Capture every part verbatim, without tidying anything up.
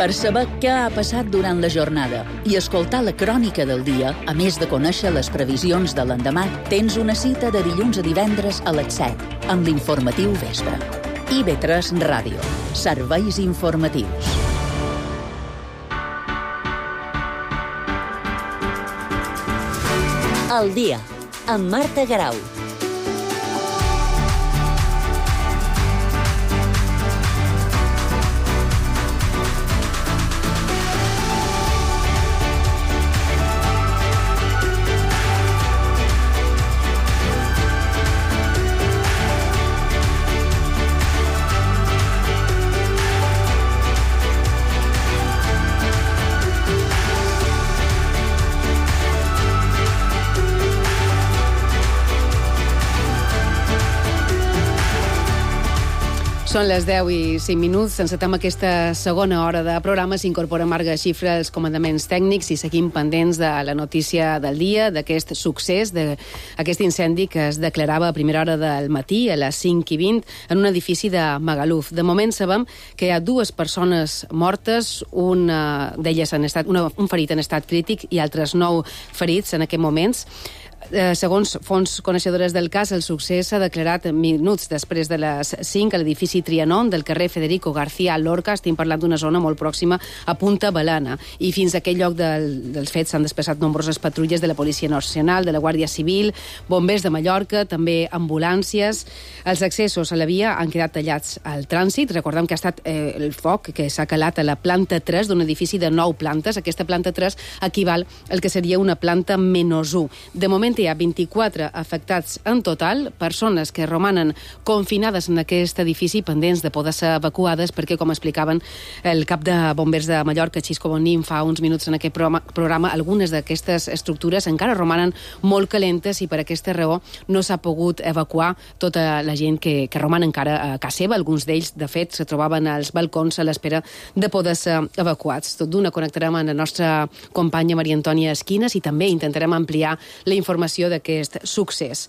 Per saber què ha passat durant la jornada i escoltar la crònica del dia, a més de conèixer les previsions de l'endemà, tens una cita de dilluns a divendres a les set, amb l'informatiu Vespre. I ve tres Ràdio. Serveis informatius. El dia, amb Marta Garau. Són les deu i cinc minuts. Encetem aquesta segona hora de programa. S'incorpora Marga Xifra als comandaments tècnics i seguim pendents de la notícia del dia, d'aquest succés, d'aquest incendi que es declarava a primera hora del matí, a les cinc i vint, en un edifici de Magaluf. De moment sabem que hi ha dues persones mortes, una d'elles en estat, una, un ferit en estat crític i altres nou ferits en aquests moments. Eh, segons fonts coneixedores del cas, el succés s'ha declarat minuts després de les cinc a l'edifici Trianon del carrer Federico García Lorca. Estem parlant d'una zona molt pròxima a Punta Balana. I fins a aquell lloc del, dels fets s'han desplaçat nombroses patrulles de la Policia Nacional, de la Guàrdia Civil, bombers de Mallorca, també ambulàncies. Els accessos a la via han quedat tallats al trànsit. Recordem que ha estat eh, el foc que s'ha calat a la planta tres d'un edifici de nou plantes. Aquesta planta tres equival al que seria una planta menys u. De moment hi ha vint-i-quatre afectats en total, persones que romanen confinades en aquest edifici pendents de poder ser evacuades perquè, com explicaven el cap de bombers de Mallorca, Xisco Bonín, fa uns minuts en aquest programa, programa algunes d'aquestes estructures encara romanen molt calentes i per aquesta raó no s'ha pogut evacuar tota la gent que, que roman encara a casa seva. Alguns d'ells, de fet, se trobaven als balcons a l'espera de poder ser evacuats. Tot d'una connectarem amb la nostra companya Maria Antònia Esquinas i també intentarem ampliar la informació d'aquest succés.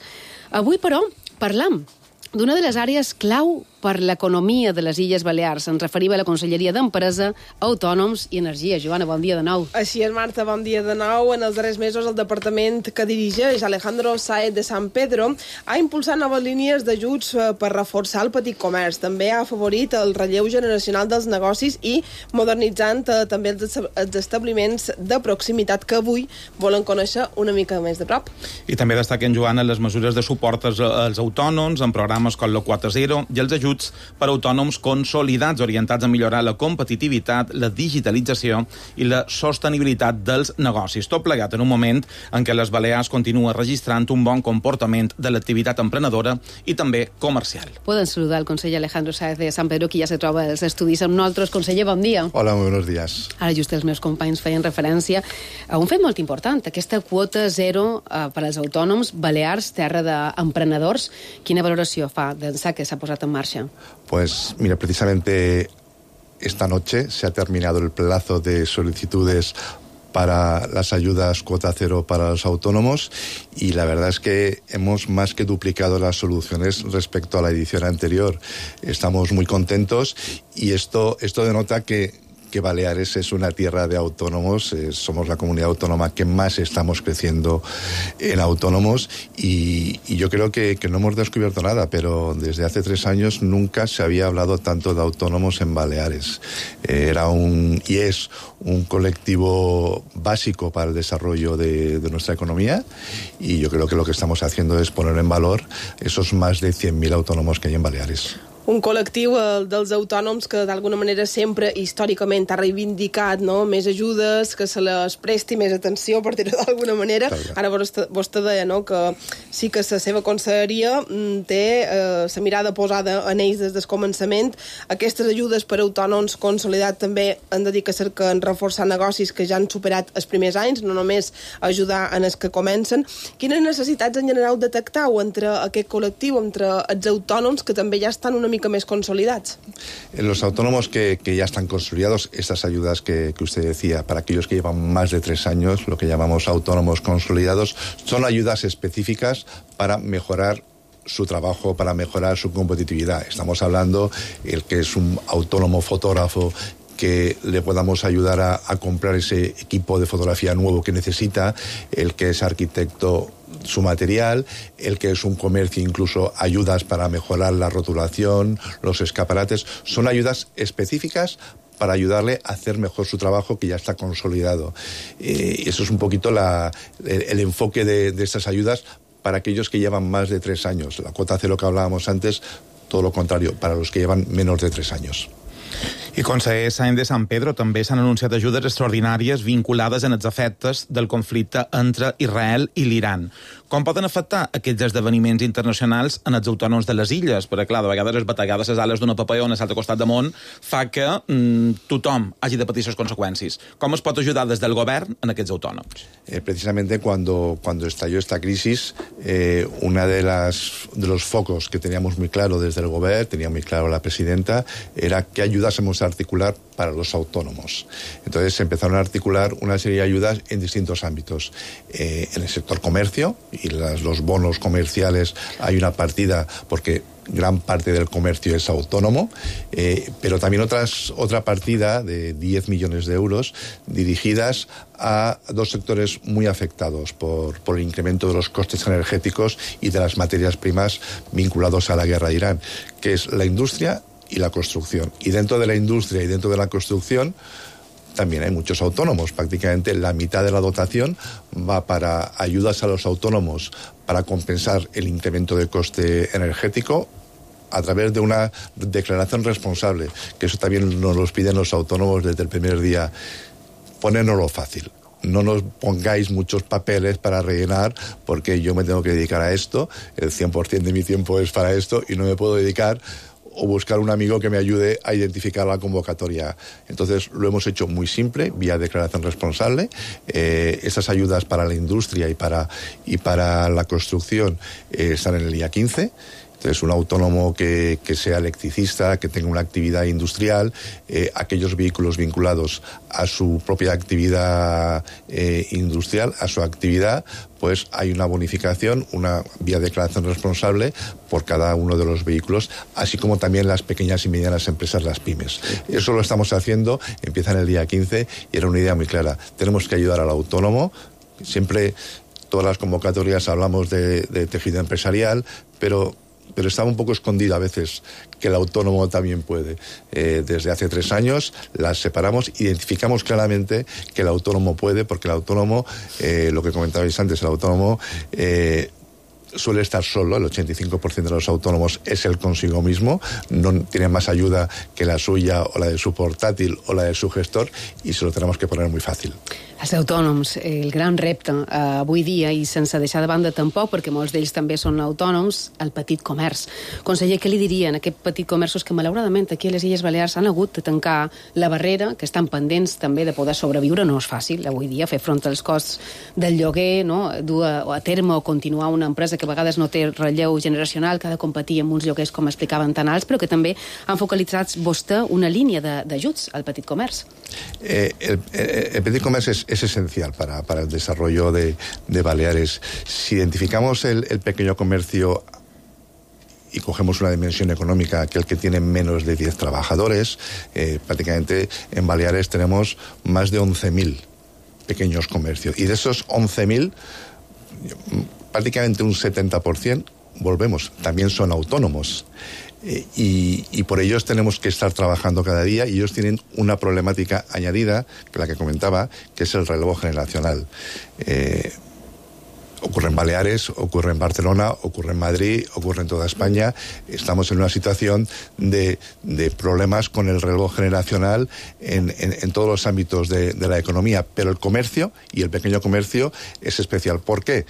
Avui, però, parlam d'una de les àrees clau per l'economia de les Illes Balears. Ens referim a la Conselleria d'Empresa, Autònoms i Energia. Joana, bon dia de nou. Així és, Marta, bon dia de nou. En els darrers mesos, el departament que dirigeix Alejandro Sáez de San Pedro ha impulsat noves línies d'ajuts per reforçar el petit comerç. També ha afavorit el relleu generacional dels negocis i modernitzant eh, també els, els establiments de proximitat que avui volen conèixer una mica més de prop. I també destaquen, Joana, les mesures de suport als, als autònoms en programes com l'O quatre zero i els ajuts per a autònoms consolidats orientats a millorar la competitivitat, la digitalització i la sostenibilitat dels negocis. Tot plegat en un moment en què les Balears continua registrant un bon comportament de l'activitat emprenedora i també comercial. Poden saludar el conseller Alejandro Sáez de San Pedro, que ja se troba als estudis amb nosaltres. Conseller, bon dia. Hola, muy buenos días. Ara just els meus companys feien referència a un fet molt important, aquesta quota zero eh, per als autònoms Balears, terra d'emprenedors. Quina valoració fa d'ençà que s'ha posat en marxa? Pues mira, precisamente esta noche se ha terminado el plazo de solicitudes para las ayudas cuota cero para los autónomos y la verdad es que hemos más que duplicado las soluciones respecto a la edición anterior. Estamos muy contentos y esto, esto denota que que Baleares es una tierra de autónomos, eh, somos la comunidad autónoma que más estamos creciendo en autónomos y, y yo creo que, que no hemos descubierto nada, pero desde hace tres años nunca se había hablado tanto de autónomos en Baleares. Eh, era un y es un colectivo básico para el desarrollo de, de nuestra economía y yo creo que lo que estamos haciendo es poner en valor esos más de cien mil autónomos que hay en Baleares. Un col·lectiu, el dels autònoms, que d'alguna manera sempre històricament ha reivindicat, no?, més ajudes, que se les presti més atenció, per dir-ho d'alguna manera. Ara vostè, vostè deia, no?, que sí que la seva conselleria té eh, la mirada posada en ells des del començament. Aquestes ajudes per a autònoms consolidats també han de dir que cerquen reforçar negocis que ja han superat els primers anys, no només ajudar en els que comencen. Quines necessitats en general detectau entre aquest col·lectiu, entre els autònoms que també ja estan una mica més consolidados? En los autónomos que, que ya están consolidados, estas ayudas que, que usted decía, para aquellos que llevan más de tres años, lo que llamamos autónomos consolidados, son ayudas específicas para mejorar su trabajo, para mejorar su competitividad. Estamos hablando el que es un autónomo fotógrafo que le podamos ayudar a, a comprar ese equipo de fotografía nuevo que necesita, el que es arquitecto su material, el que es un comercio, incluso ayudas para mejorar la rotulación, los escaparates, son ayudas específicas para ayudarle a hacer mejor su trabajo que ya está consolidado. Eh, eso es un poquito la, el, el enfoque de, de estas ayudas para aquellos que llevan más de tres años. La cuota cero que hablábamos antes, todo lo contrario, para los que llevan menos de tres años. I conseller Sáenz de San Pedro, també s'han anunciat ajudes extraordinàries vinculades en els efectes del conflicte entre Israel i l'Iran. Com poden afectar aquests esdeveniments internacionals en els autònoms de les illes? Perquè, clar, de vegades es bategar de les ales d'una papallona a l'altre costat del món fa que mm, tothom hagi de patir les conseqüències. Com es pot ajudar des del govern en aquests autònoms? Eh, precisamente cuando, cuando estalló esta crisis, eh, una de las de los focos que teníamos muy claro desde el gobierno, tenía muy claro la presidenta, era que ayudásemos a articular para los autónomos. Entonces se empezaron a articular una serie de ayudas en distintos ámbitos. Eh, en el sector comercio, y las, los bonos comerciales, hay una partida porque gran parte del comercio es autónomo, eh, pero también otras, otra partida de diez millones de euros dirigidas a dos sectores muy afectados por, por el incremento de los costes energéticos y de las materias primas vinculados a la guerra de Irán, que es la industria y la construcción. Y dentro de la industria y dentro de la construcción también hay muchos autónomos. Prácticamente la mitad de la dotación va para ayudas a los autónomos para compensar el incremento de coste energético a través de una declaración responsable, que eso también nos lo piden los autónomos desde el primer día. Ponérnoslo fácil. No nos pongáis muchos papeles para rellenar, porque yo me tengo que dedicar a esto, el cien por ciento de mi tiempo es para esto y no me puedo dedicar o buscar un amigo que me ayude a identificar la convocatoria. Entonces lo hemos hecho muy simple, vía declaración responsable. Eh, esas ayudas para la industria y para, y para la construcción eh, están en el I A quince. Entonces, un autónomo que, que sea electricista, que tenga una actividad industrial, eh, aquellos vehículos vinculados a su propia actividad eh, industrial, a su actividad, pues hay una bonificación, una vía declaración responsable por cada uno de los vehículos, así como también las pequeñas y medianas empresas, las pymes. Eso lo estamos haciendo, empieza en el día quince y era una idea muy clara. Tenemos que ayudar al autónomo, siempre todas las convocatorias hablamos de, de tejido empresarial, pero... pero estaba un poco escondida a veces que el autónomo también puede. Eh, desde hace tres años las separamos, identificamos claramente que el autónomo puede, porque el autónomo, eh, lo que comentabais antes, el autónomo eh, suele estar solo, el ochenta y cinco por ciento de los autónomos es el consigo mismo, no tiene más ayuda que la suya o la de su portátil o la de su gestor, y se lo tenemos que poner muy fàcil. Els autònoms, el gran repte eh, avui dia, i sense deixar de banda tampoc, perquè molts d'ells també són autònoms, el petit comerç. Conseller, què li dirien a aquests petits comerços que malauradament aquí a les Illes Balears han hagut de tancar la barrera, que estan pendents també de poder sobreviure? No és fàcil avui dia fer front als costs del lloguer, no? dur a, a terme o continuar una empresa que a vegades no té relleu generacional, que ha de competir amb uns lloguers, com explicaven, tan alts, però que també han focalitzat vostè una línia d'ajuts al petit comerç. Eh, el, el petit comerç és es esencial para, para el desarrollo de, de Baleares. Si identificamos el, el pequeño comercio y cogemos una dimensión económica, aquel que tiene menos de diez trabajadores, eh, prácticamente en Baleares tenemos más de once mil pequeños comercios. Y de esos once mil, prácticamente un setenta por ciento, volvemos, también son autónomos. Eh, y, y por ellos tenemos que estar trabajando cada día, y ellos tienen una problemática añadida, que la que comentaba, que es el relevo generacional. Eh, ocurre en Baleares, ocurre en Barcelona, ocurre en Madrid, ocurre en toda España. Estamos en una situación de, de problemas con el relevo generacional en, en, en todos los ámbitos de, de la economía, pero el comercio y el pequeño comercio es especial. ¿Por qué?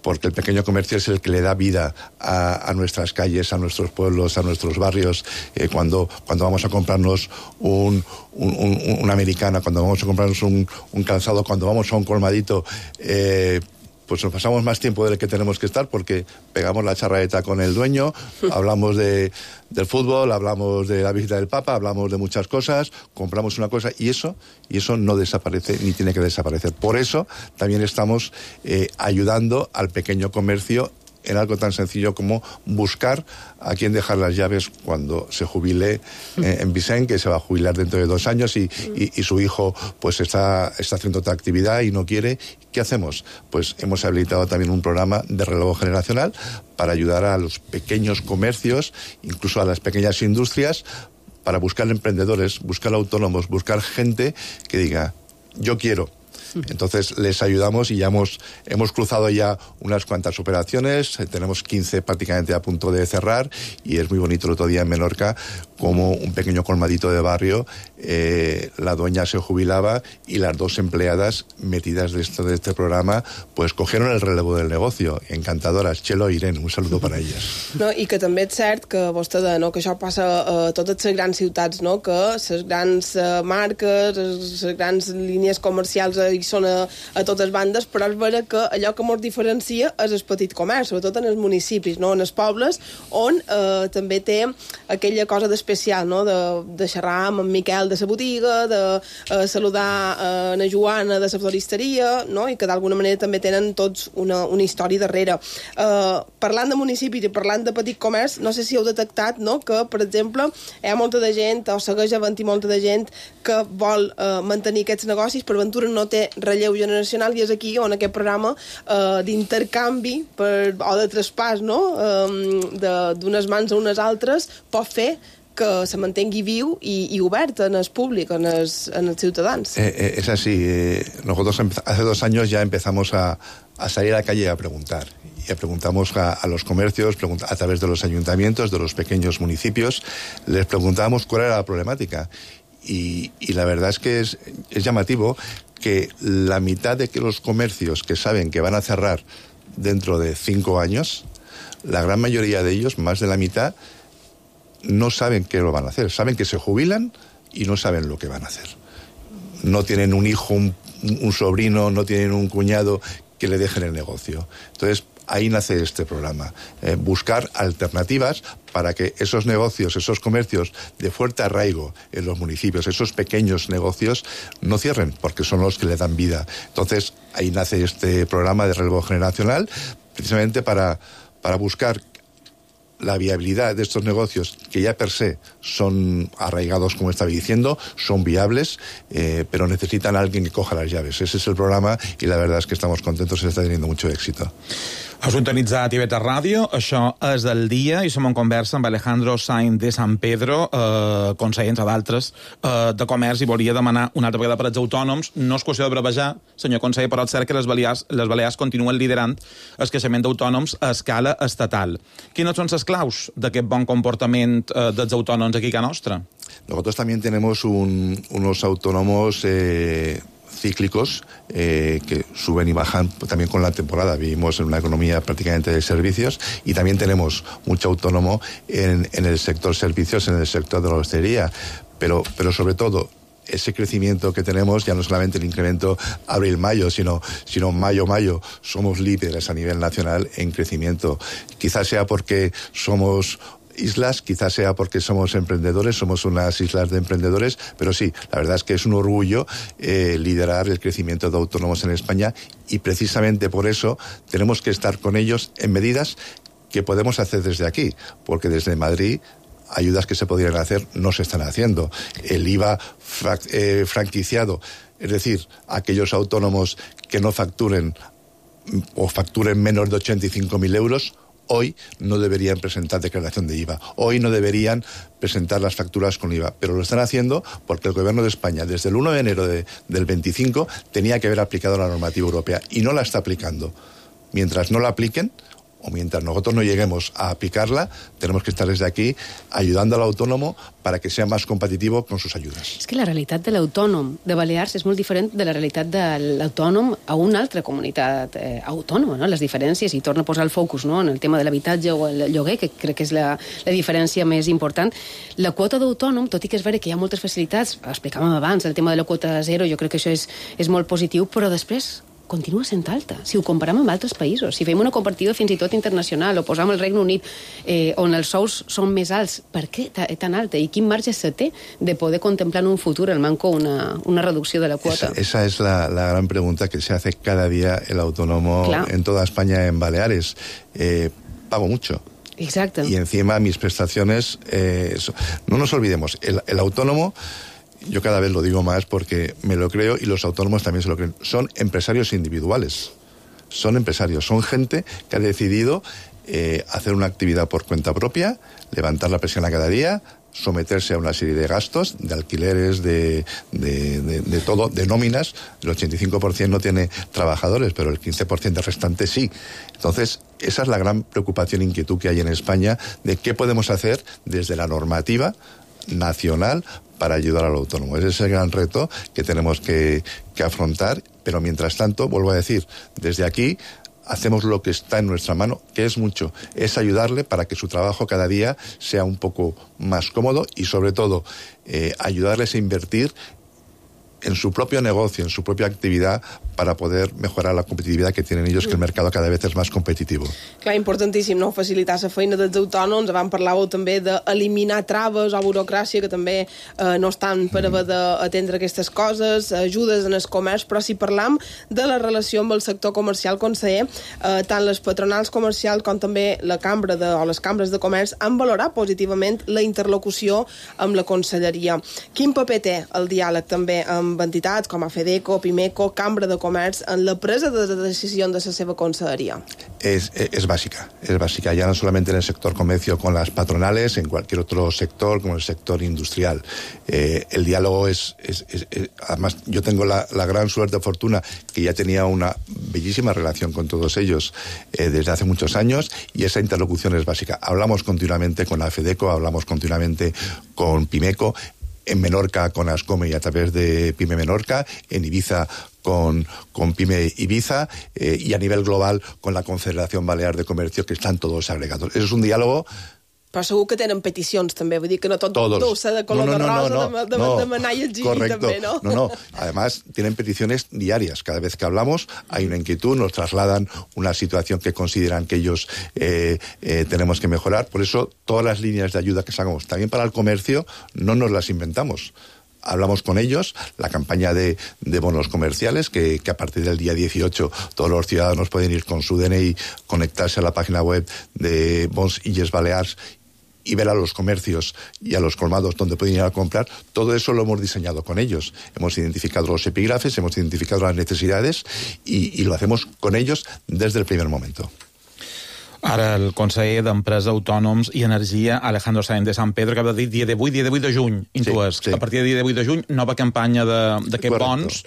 Porque el pequeño comercio es el que le da vida a, a nuestras calles, a nuestros pueblos, a nuestros barrios. Eh, cuando, cuando vamos a comprarnos un, un, un, una americana, cuando vamos a comprarnos un, un calzado, cuando vamos a un colmadito, eh, pues nos pasamos más tiempo del que tenemos que estar, porque pegamos la charraeta con el dueño, hablamos de, del fútbol, hablamos de la visita del Papa, hablamos de muchas cosas, compramos una cosa, y eso, y eso no desaparece ni tiene que desaparecer. Por eso también estamos eh, ayudando al pequeño comercio en algo tan sencillo como buscar a quién dejar las llaves cuando se jubile eh, en Vicent, que se va a jubilar dentro de dos años y, y, y su hijo pues está, está haciendo otra actividad y no quiere. ¿Qué hacemos? Pues hemos habilitado también un programa de relevo generacional para ayudar a los pequeños comercios, incluso a las pequeñas industrias, para buscar emprendedores, buscar autónomos, buscar gente que diga, yo quiero. Entonces les ayudamos y ya hemos, hemos cruzado ya unas cuantas operaciones, tenemos quince prácticamente a punto de cerrar y es muy bonito el otro día en Menorca como un pequeño colmadito de barrio, eh, la dueña se jubilaba y las dos empleadas metidas de, esto, de este programa pues cogieron el relevo del negocio, encantadoras, Txelo i Irene, un saludo para ellas. No, i que també és cert que vostè deia, no, que això passa a totes les grans ciutats, no, que les grans uh, marques, les grans línies comercials uh, hi són a, a totes bandes, però és vera que allò que ens diferencia és el petit comerç, sobretot en els municipis, no, en els pobles, on uh, també té aquella cosa d'especial, no, de, de xerrar amb en Miquel de la botiga, de uh, saludar uh, en Joana de la floristeria, no, i que d'alguna manera també tenen tots una, una història darrere. Uh, parlant de municipis i parlant de petit comerç, no sé si heu detectat, no, que, per exemple, hi ha molta de gent, o segueix havent-hi molta de gent que vol uh, mantenir aquests negocis, per ventura no té relleu generacional, i és aquí on aquest programa uh, d'intercanvi per, o de traspàs, no, um, d'unes mans a unes altres, pot fer que se mantengui viu y, y obert en el públic, en els, en els ciutadans. Eh, eh, es así. Eh, nosotros hace dos años ya empezamos a, a salir a la calle a preguntar. Y preguntamos a, a los comercios, a través de los ayuntamientos, de los pequeños municipios, les preguntábamos cuál era la problemática. Y, y la verdad es que es, es llamativo que la mitad de que los comercios que saben que van a cerrar dentro de cinco años, la gran mayoría de ellos, más de la mitad, no saben qué lo van a hacer. Saben que se jubilan y no saben lo que van a hacer. No tienen un hijo, un, un sobrino, no tienen un cuñado que le dejen el negocio. Entonces, ahí nace este programa. Eh, buscar alternativas para que esos negocios, esos comercios de fuerte arraigo en los municipios, esos pequeños negocios, no cierren, porque son los que le dan vida. Entonces, ahí nace este programa de relevo generacional, precisamente para, para buscar la viabilidad de estos negocios, que ya per se son arraigados, como estaba diciendo, son viables, eh, pero necesitan a alguien que coja las llaves. Ese es el programa y la verdad es que estamos contentos y está teniendo mucho éxito. Has sintonitzat I V tres Ràdio, això és el dia, i som en conversa amb Alejandro Sainz de San Pedro, eh, conseller, entre d'altres, eh, de Comerç, i volia demanar una altra vegada per als autònoms. No és qüestió de brevejar, senyor conseller, però és cert que les Balears, les Balears continuen liderant el creixement d'autònoms a escala estatal. Quines són les claus d'aquest bon comportament eh, dels autònoms aquí a casa nostra? Nosotros también tenemos un, unos autónomos eh, cíclicos eh, que suben y bajan también con la temporada. Vivimos en una economía prácticamente de servicios y también tenemos mucho autónomo en, en el sector servicios, en el sector de la hostelería, pero, pero sobre todo ese crecimiento que tenemos, ya no solamente el incremento abril-mayo, sino, sino mayo-mayo, somos líderes a nivel nacional en crecimiento. Quizás sea porque somos islas, quizás sea porque somos emprendedores, somos unas islas de emprendedores, pero sí, la verdad es que es un orgullo eh, liderar el crecimiento de autónomos en España, y precisamente por eso tenemos que estar con ellos en medidas que podemos hacer desde aquí, porque desde Madrid ayudas que se podrían hacer no se están haciendo. El I V A fra- eh, franquiciado, es decir, aquellos autónomos que no facturen o facturen menos de ochenta y cinco mil euros, hoy no deberían presentar declaración de I V A. Hoy no deberían presentar las facturas con I V A. Pero lo están haciendo porque el Gobierno de España, desde el uno de enero de, del veinticinco, tenía que haber aplicado la normativa europea y no la está aplicando. Mientras no la apliquen, o mientras nosotros no lleguemos a aplicarla, tenemos que estar desde aquí ayudando al autónomo para que sea más competitivo con sus ayudas. És que la realitat de l'autònom de Balears és molt diferent de la realitat de l'autònom a una altra comunitat eh, autònoma, no? Les diferències, i torna a posar el focus, no?, en el tema de l'habitatge o el lloguer, que crec que és la, la diferència més important. La quota d'autònom, tot i que és vera que hi ha moltes facilitats, explicàvem abans, el tema de la quota zero, jo crec que això és, és molt positiu, però després continua sent alta. Si ho comparem amb altres països, si fem una comparativa fins i tot internacional, o posam el Regne Unit, eh, on els sous són més alts, per què tan alta? I quin marge se té de poder contemplar en un futur el manco una, una reducció de la quota? Esa, esa es la, la gran pregunta que se hace cada día el autónomo Clar. en toda España, en Baleares. Eh, pago mucho. Exacto. Y encima mis prestaciones, eh, no nos olvidemos, el, el autónomo, yo cada vez lo digo más porque me lo creo y los autónomos también se lo creen, son empresarios individuales, son empresarios, son gente que ha decidido eh, hacer una actividad por cuenta propia, levantar la persiana cada día, someterse a una serie de gastos, de alquileres, de, de, de, de todo, de nóminas. El ochenta y cinco por ciento no tiene trabajadores, pero el quince por ciento restante sí. Entonces, esa es la gran preocupación e inquietud que hay en España de qué podemos hacer desde la normativa nacional para ayudar al autónomo. Ese es el gran reto que tenemos que, que afrontar, pero mientras tanto, vuelvo a decir, desde aquí hacemos lo que está en nuestra mano, que es mucho, es ayudarle para que su trabajo cada día sea un poco más cómodo y sobre todo eh, ayudarles a invertir en su propio negocio, en su propia actividad, para poder mejorar la competitivitat que tenen ells, que el mercat cada vegada és més competitiu. Clar, importantíssim, no?, facilitar la feina dels autònoms. Abans parlàveu també d'eliminar traves o burocràcia que també eh, no estan per haver d'atendre aquestes coses, ajudes en el comerç, però si parlam de la relació amb el sector comercial, conseller, eh, tant les patronals comercials com també la cambra de, o les cambres de comerç han valorat positivament la interlocució amb la conselleria. Quin paper té el diàleg també amb entitats com a FEDECO, PIMECO, Cambra de Comerç en la presa de decisions de la seva conselleria? Es, es básica, es básica, ya no solamente en el sector comercio con las patronales, en cualquier otro sector, como el sector industrial. Eh, el diálogo es, es, es, es... Además, yo tengo la, la gran suerte, fortuna, que ya tenía una bellísima relación con todos ellos eh, desde hace muchos años, y esa interlocución es básica. Hablamos continuamente con la FEDECO, hablamos continuamente con PIMECO, en Menorca con Ascome y a través de PYME Menorca, en Ibiza con, con PYME Ibiza eh, y a nivel global con la Confederación Balear de Comercio, que están todos agregados. Eso es un diálogo. Però segur que tenen peticions també, vull dir que no tot dolça de color no, no, de rosa, no, no, de, de, no, de manar i exigir correcto. també, ¿no? No, no, además tienen peticiones diarias. Cada vez que hablamos hay una inquietud, nos trasladan una situación que consideran que ellos eh, eh, tenemos que mejorar. Por eso todas las líneas de ayuda que sacamos, también para el comercio, no nos las inventamos. Hablamos con ellos, la campaña de, de bonos comerciales, que, que a partir del día dieciocho todos los ciudadanos pueden ir con su D N I, conectarse a la página web de Bons Illes Balears y ver a los comercios y a los colmados donde pueden ir a comprar. Todo eso lo hemos diseñado con ellos. Hemos identificado los epígrafes, hemos identificado las necesidades y, y lo hacemos con ellos desde el primer momento. Ara el conseller d'Empresa, Autònoms i Energia, Alejandro Sáenz de San Pedro, que va dir dia divuit, dia divuit de juny, intues, sí, sí. A partir de dia divuit de juny, nova campanya d'aquests bons.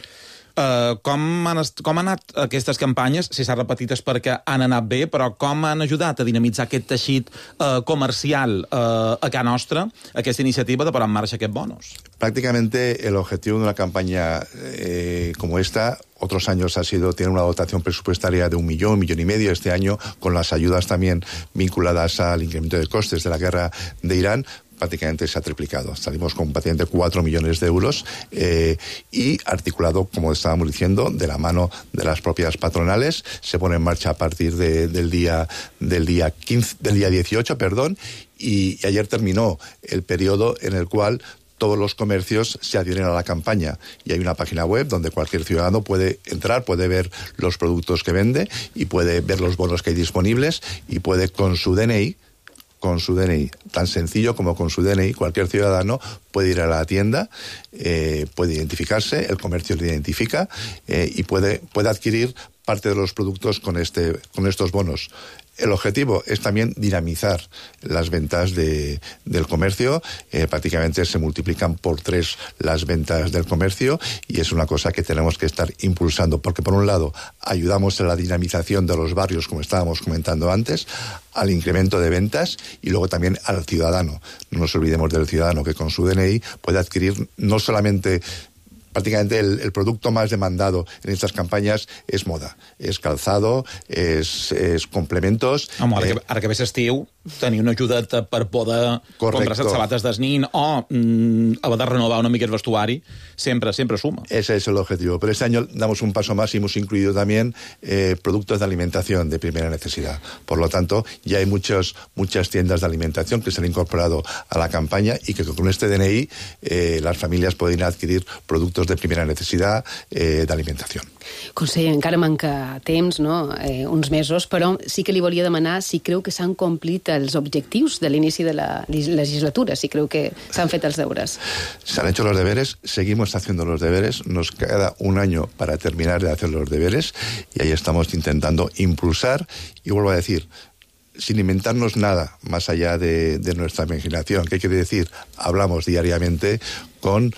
Uh, com, han, com han anat aquestes campanyes? Si s'ha repetit és perquè han anat bé, però com han ajudat a dinamitzar aquest teixit uh, comercial uh, a casa nostra, aquesta iniciativa de posar en marxa aquests bonos? Prácticamente el objetivo de una campaña eh, como esta, otros años ha sido, tiene una dotación presupuestaria de un millón, un millón y medio. Este año, con las ayudas también vinculadas al incremento de costes de la guerra de Irán, prácticamente se ha triplicado. Salimos con prácticamente cuatro millones de euros eh, y articulado, como estábamos diciendo, de la mano de las propias patronales. Se pone en marcha a partir de, del día del día quince, del día dieciocho, perdón, y, y ayer terminó el periodo en el cual todos los comercios se adhieren a la campaña y hay una página web donde cualquier ciudadano puede entrar, puede ver los productos que vende y puede ver los bonos que hay disponibles y puede con su D N I, con su D N I, tan sencillo como con su D N I, cualquier ciudadano puede ir a la tienda, eh, puede identificarse, el comercio le identifica eh, y puede, puede adquirir parte de los productos con, este, con estos bonos. El objetivo es también dinamizar las ventas de, del comercio. Eh, prácticamente se multiplican por tres las ventas del comercio y es una cosa que tenemos que estar impulsando porque, por un lado, ayudamos a la dinamización de los barrios, como estábamos comentando antes, al incremento de ventas y luego también al ciudadano. No nos olvidemos del ciudadano que con su D N I puede adquirir no solamente prácticamente el, el producto más demandado en estas campañas es moda, es calzado, es, es complementos. Home, ara, eh, que, ara que ve l'estiu, tenir una ajudeta per poder comprar les sabates d'esnin o mm, haver de renovar una mica el vestuari, sempre, sempre suma. Ese es el objetivo. Pero este año damos un paso más y hemos incluido también eh, productos de alimentación de primera necesidad. Por lo tanto, ya hay muchos, muchas tiendas de alimentación que se han incorporado a la campaña y que con este D N I eh, las familias pueden adquirir productos de primera necesidad eh, de alimentación. Conseller, encara manca temps, no? eh, uns mesos, però sí que li volia demanar si creu que s'han complit els objectius de l'inici de la legislatura, si creu que s'han fet els deures. Se han hecho los deberes, seguimos haciendo los deberes, nos queda un año para terminar de hacer los deberes y ahí estamos intentando impulsar, y vuelvo a decir, sin inventarnos nada más allá de, de nuestra imaginación. ¿Qué quiere decir? Hablamos diariamente con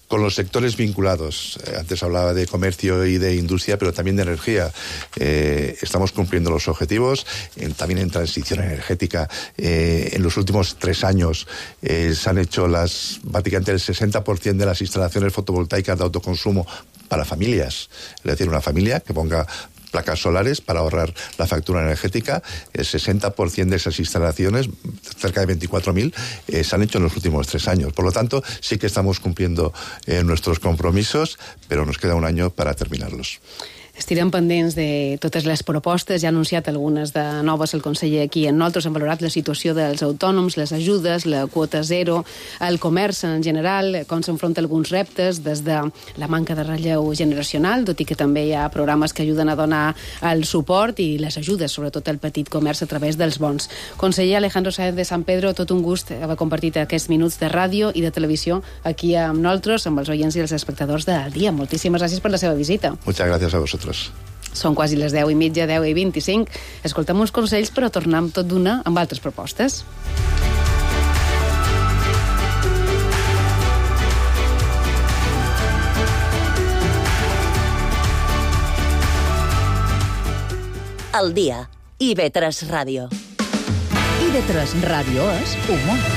con los sectores vinculados. Eh, antes hablaba de comercio y de industria, pero también de energía. Eh, estamos cumpliendo los objetivos, en, también en transición energética. Eh, en los últimos tres años eh, se han hecho las prácticamente el sesenta por ciento de las instalaciones fotovoltaicas de autoconsumo para familias. Es decir, una familia que ponga placas solares para ahorrar la factura energética. El sesenta por ciento de esas instalaciones, cerca de veinticuatro mil, eh, se han hecho en los últimos tres años. Por lo tanto, sí que estamos cumpliendo eh, nuestros compromisos, pero nos queda un año para terminarlos. Estirem pendents de totes les propostes. Ja ha anunciat algunes de noves el conseller aquí. Nosaltres hem valorat la situació dels autònoms, les ajudes, la quota zero, el comerç en general, com s'enfronta alguns reptes, des de la manca de relleu generacional, tot i que també hi ha programes que ajuden a donar el suport i les ajudes, sobretot al petit comerç a través dels bons. Conseller Alejandro Sáenz de San Pedro, tot un gust haver compartit aquests minuts de ràdio i de televisió aquí amb nosaltres, amb els oients i els espectadors del dia. Moltíssimes gràcies per la seva visita. Muchas gracias a vosotros. Són quasi les deu i mitja, deu i vint-i-cinc. Escoltem uns consells, però tornem tot d'una amb altres propostes. El dia. I ve tres Ràdio. I ve tres Ràdio és humor.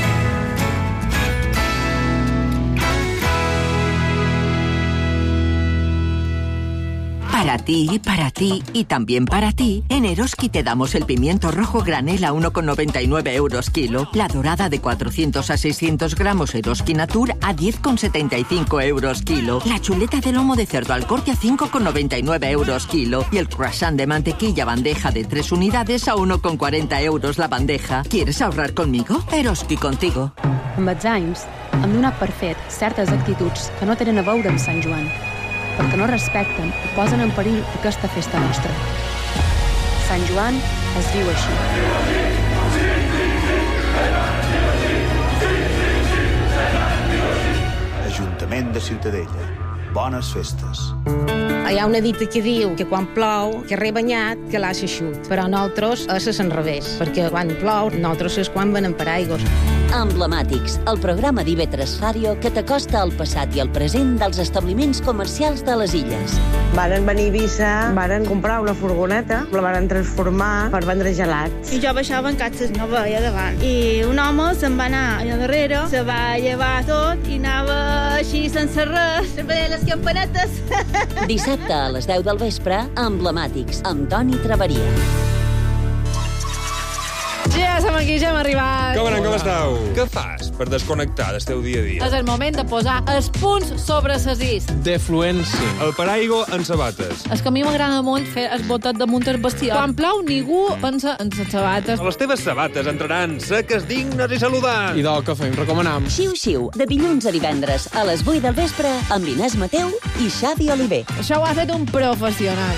Para ti, para ti y también para ti, en Eroski te damos el pimiento rojo granel a uno con noventa y nueve euros kilo, la dorada de cuatrocientos a seiscientos gramos Eroski Natur a diez con setenta y cinco euros kilo, la chuleta de lomo de cerdo al corte a cinco con noventa y nueve euros kilo y el croissant de mantequilla bandeja de tres unidades a uno con cuarenta euros la bandeja. ¿Quieres ahorrar conmigo? Eroski contigo. Amb els anys, hem donat per fet certes actituds que no tenen a veure amb Sant Joan, perquè no respecten i posen en perill aquesta festa nostra. Sant Joan es diu així. Ajuntament de Ciutadella. Bones festes. Hi ha una dita que diu que quan plou, que re banyat, que l'ha xeixut. Però nosaltres és a l'enrevés, perquè quan plou, nosaltres és quan venen per aigües. Emblemàtics, el programa d'I V tres Ràdio que t'acosta al passat i al present dels establiments comercials de les illes. Varen venir a Eivissa, varen comprar una furgoneta, la varen transformar per vendre gelats. I jo baixava en catxes, no veia davant. I un home se'n va anar allà darrere, se va llevar tot i anava així sense res, sempre deia les campanetes. Dissabte a les deu del vespre, Emblemàtics, amb Toni Traveria. Ja som aquí, ja hem arribat. Com anem, com esteu? Què fas per desconnectar del teu dia a dia? És el moment de posar els punts sobre ses is. Defluència. El paraigua en sabates. És que a mi m'agrada molt fer el botet damunt el bestiar. Quan plou, ningú pensa en les sabates. Les teves sabates entraran seques, dignes i saludants. I del que fem, recomanam. Xiu-xiu, de dilluns a divendres, a les vuit del vespre, amb Inés Mateu i Xavi Oliver. Això ho ha fet un professional.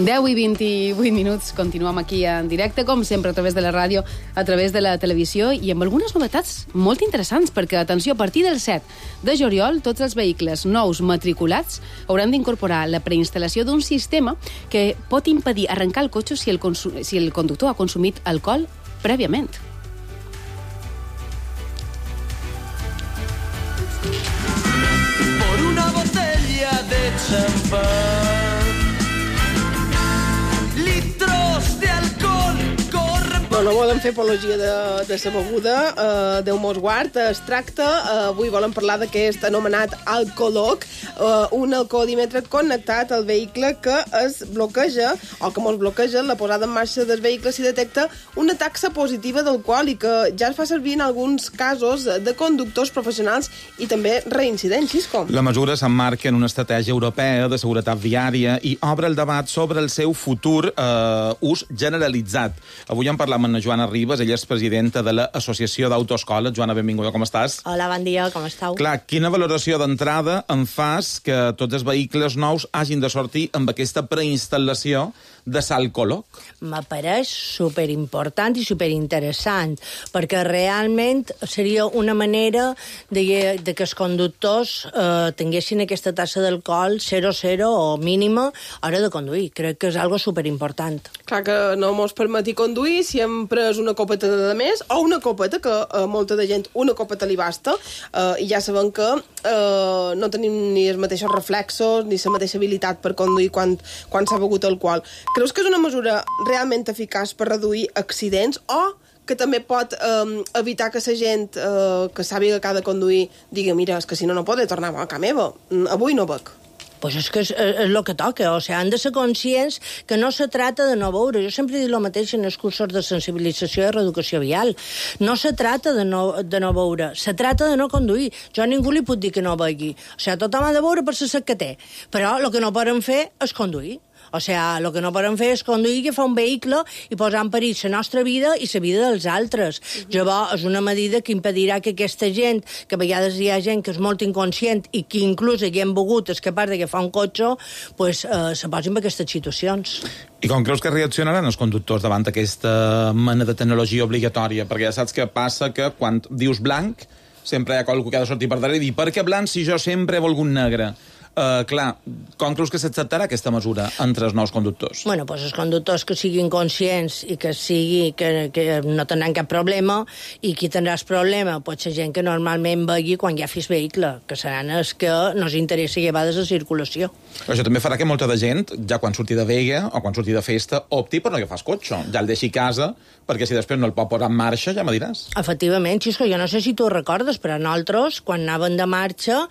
deu i vint-i-vuit minuts, continuem aquí en directe, com sempre, a través de la ràdio, a través de la televisió, i amb algunes novetats molt interessants, perquè, atenció, a partir del set de juliol, tots els vehicles nous matriculats hauran d'incorporar la preinstal·lació d'un sistema que pot impedir arrencar el cotxe si el, si el conductor ha consumit alcohol prèviament. Por una botella champán. Litros de alcohol corren... No, no volem fer apologia de, de la beguda, uh, Déu mos guard. Es tracta, uh, avui volem parlar d'aquest anomenat alcoholoc, uh, un alcoholímetre connectat al vehicle que es bloqueja, o que mos bloqueja la posada en marxa del vehicle si detecta una taxa positiva d'alcohol i que ja es fa servir en alguns casos de conductors professionals i també reincidents, Xisco. La mesura s'emmarca en una estratègia europea de seguretat viària i obre el debat sobre el seu futur eh, ús generalitzat. Avui en parlam amb la Joana Ribas, ella és presidenta de l'Associació d'Autoescoles. Joana, benvinguda, com estàs? Hola, bon dia, com estàu? Clar, quina valoració d'entrada en fas que tots els vehicles nous hagin de sortir amb aquesta preinstal·lació de l'alcoholoc? M'apareix superimportant i superinteressant, perquè realment seria una manera de, de que els conductors eh, tinguessin aquesta tassa d'alcohol zero zero o mínima a hora de conduir. Crec que és algo superimportant. Clar que no mos permeti conduir si hem pres una copeta de més o una copeta, que a molta de gent una copeta li basta, eh, i ja sabem que eh, no tenim ni els mateixos reflexos ni la mateixa habilitat per conduir quan, quan s'ha begut alcohol. Creus que és una mesura realment eficaç per reduir accidents o que també pot eh, evitar que la gent eh, que sàpiga que ha de conduir digui, mira, és que si no, no podré tornar a casa meva, avui no bec? Pues és que és, és el que toca, o sigui, han de ser conscients que no se trata de no veure. Jo sempre dic el mateix en els cursos de sensibilització i reeducació vial. No se trata de no, de no veure, se trata de no conduir. Jo a ningú li puc dir que no vegi. O sigui, tothom ha de veure per la set que té, però el que no poden fer és conduir. O sigui, el que no podem fer és conduir i agafar un vehicle i posar en perill la nostra vida i la vida dels altres. Uh-huh. Llavors, és una medida que impedirà que aquesta gent, que a vegades hi ha gent que és molt inconscient i que inclús haguem begut és capaç d'agafar un cotxe, pues, eh, se posin en aquestes situacions. I com creus que reaccionaran els conductors davant aquesta mena de tecnologia obligatòria? Perquè ja saps que passa que quan dius blanc, sempre hi ha qualcú que ha de sortir per darrere i dir, per què blanc si jo sempre he volgut negre? Uh, clar, com creus que s'acceptarà aquesta mesura entre els nous conductors? Bueno, doncs els conductors que siguin conscients i que sigui que, que no tindran cap problema, i qui tindrà el problema pot ser gent que normalment vegi quan ja fes vehicle, que seran els que no els interessa llevar de la circulació. Això també farà que molta de gent, ja quan surti de vega o quan surti de festa, opti per no agafar el cotxe, ja el deixi a casa, perquè si després no el pot posar en marxa, ja me diràs. Efectivament, Xisco, jo no sé si tu ho recordes, però nosaltres, quan anàvem de marxa,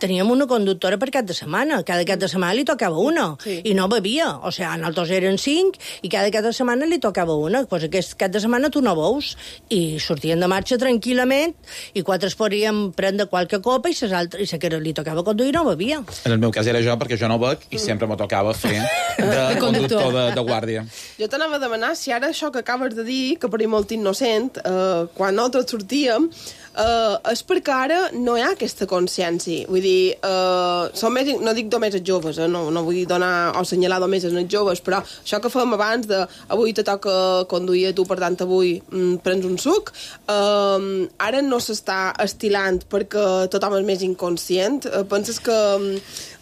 teníem una conductora per cap de setmana. Cada cap de setmana li tocava una. Sí. I no bevia. O sigui, nosaltres eren cinc i cada cap de setmana li tocava una. Pues aquest cap de setmana tu no veus. I sortien de marxa tranquil·lament i quatre es podien prendre qualque copa i ses altres, i la que li tocava conduir no bevia. En el meu cas era jo, perquè jo no bec i sempre me tocava fer de conductor de, de guàrdia. Jo t'anava a demanar si ara això que acabes de dir, que per mi molt innocent, eh, quan nosaltres sortíem, Uh, és perquè ara no hi ha aquesta consciència. Vull dir, uh, som més, no dic només els joves, eh? no, no vull donar o assenyalar només els joves, però això que fèiem abans de avui te toca conduir a tu, per tant avui mm, prens un suc, uh, ara no s'està estilant perquè tothom és més inconscient. Uh, penses que um,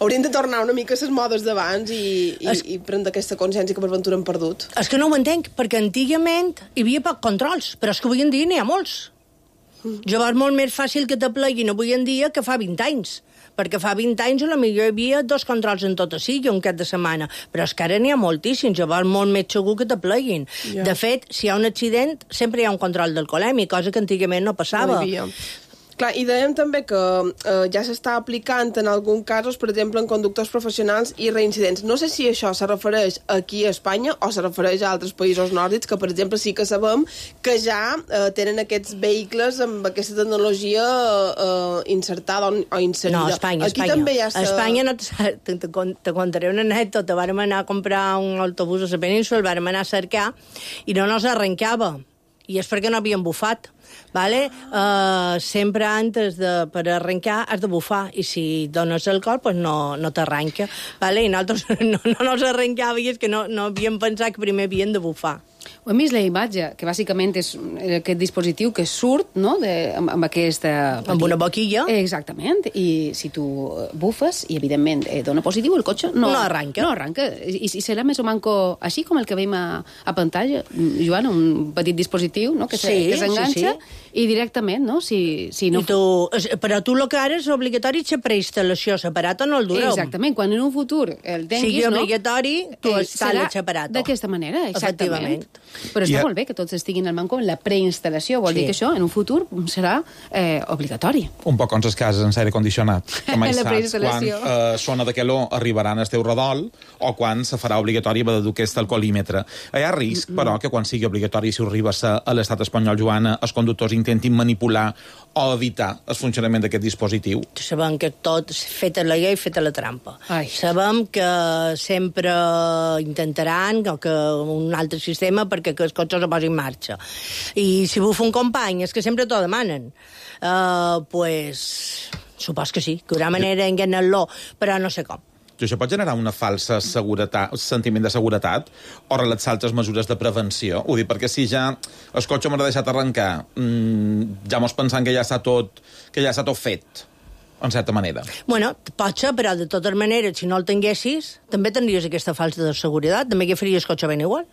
haurien de tornar una mica a les modes d'abans i, i, es... i prendre aquesta consciència que per ventura hem perdut? És que no ho entenc, perquè antigament hi havia poc controls, però és que avui en dia n'hi ha molts. Llavors és molt més fàcil que t'apleguin avui en dia que fa vint anys, perquè fa vint anys a lo millor hi havia dos controls en tot sigui un cap de setmana, però és que ara n'hi ha moltíssims, llavors molt més segur que t'apleguin. Yeah. De fet, si hi ha un accident, sempre hi ha un control d'alcoholèmia, cosa que antigament no passava. No Clar, i dèiem també que eh, ja s'està aplicant en alguns casos, per exemple, en conductors professionals i reincidents. No sé si això se refereix aquí a Espanya o se refereix a altres països nòrdics, que, per exemple, sí que sabem que ja eh, tenen aquests vehicles amb aquesta tecnologia eh, insertada o, o inserida. No, Espanya, aquí Espanya. També ja a Espanya no te, te, te contaré una anècdota. Vàrem anar a comprar un autobús a la península, el vàrem anar a cercar i no nos arrencava. I és perquè no havien bufat. Vale? Uh, sempre antes de, per arrencar has de bufar, i si dones alcohol pues no, no t'arranca, vale? I nosaltres no, no nos arrencava i és que no, no havíem pensat que primer havien de bufar. Ho hem vist la imatge, que bàsicament és aquest dispositiu que surt, no?, de, amb, amb aquesta... Amb una boquilla. Exactament, i si tu bufes, i evidentment eh, dona positiu, el cotxe no, no arranca. No arranca. I, i serà més o manco així com el que veiem a, a pantalla, Joan, un petit dispositiu, no?, que s'enganxa, sí, sí, sí. I directament, no?, si, si no... I tu, però tu el que ara és obligatori la preinstal·lació separata no el dureu. Exactament, quan en un futur el tinguis, sigui obligatori, no? Tu eh, instal·les separat. D'aquesta manera, exactament. Però està I a... molt bé que tots estiguin al manco en la preinstal·lació. Vol sí. dir que això, en un futur, serà eh, obligatori. Un poc com les cases en aire condicionat. Com mai saps quan eh, sona de calor arribaran al teu redol o quan se farà obligatori haver de dur aquest alcoholímetre. Hi ha risc, mm-hmm. però, que quan sigui obligatori, si arriba a l'estat espanyol, Joana, els conductors intentin manipular o evitar el funcionament d'aquest dispositiu. Sabem que tot feta la llei, feta la trampa. Ai. Sabem que sempre intentaran que un altre sistema perquè que el cotxe se posi en marxa. I si bufa un company, és que sempre t'ho demanen. Uh, pues, supos que sí, que hi haurà manera d'enganar-lo, però no sé com. Això pot generar una falsa seguretat, sentiment de seguretat o relaxar altres mesures de prevenció? Ho dic perquè si ja el cotxe m'ha deixat arrencar, mmm, ja mos pensant que ja està tot, que ja està tot fet, en certa manera. Bueno, pot ser, però de totes maneres, si no el tinguessis, també tindries aquesta falsa de seguretat, també que faries cotxe ben igual.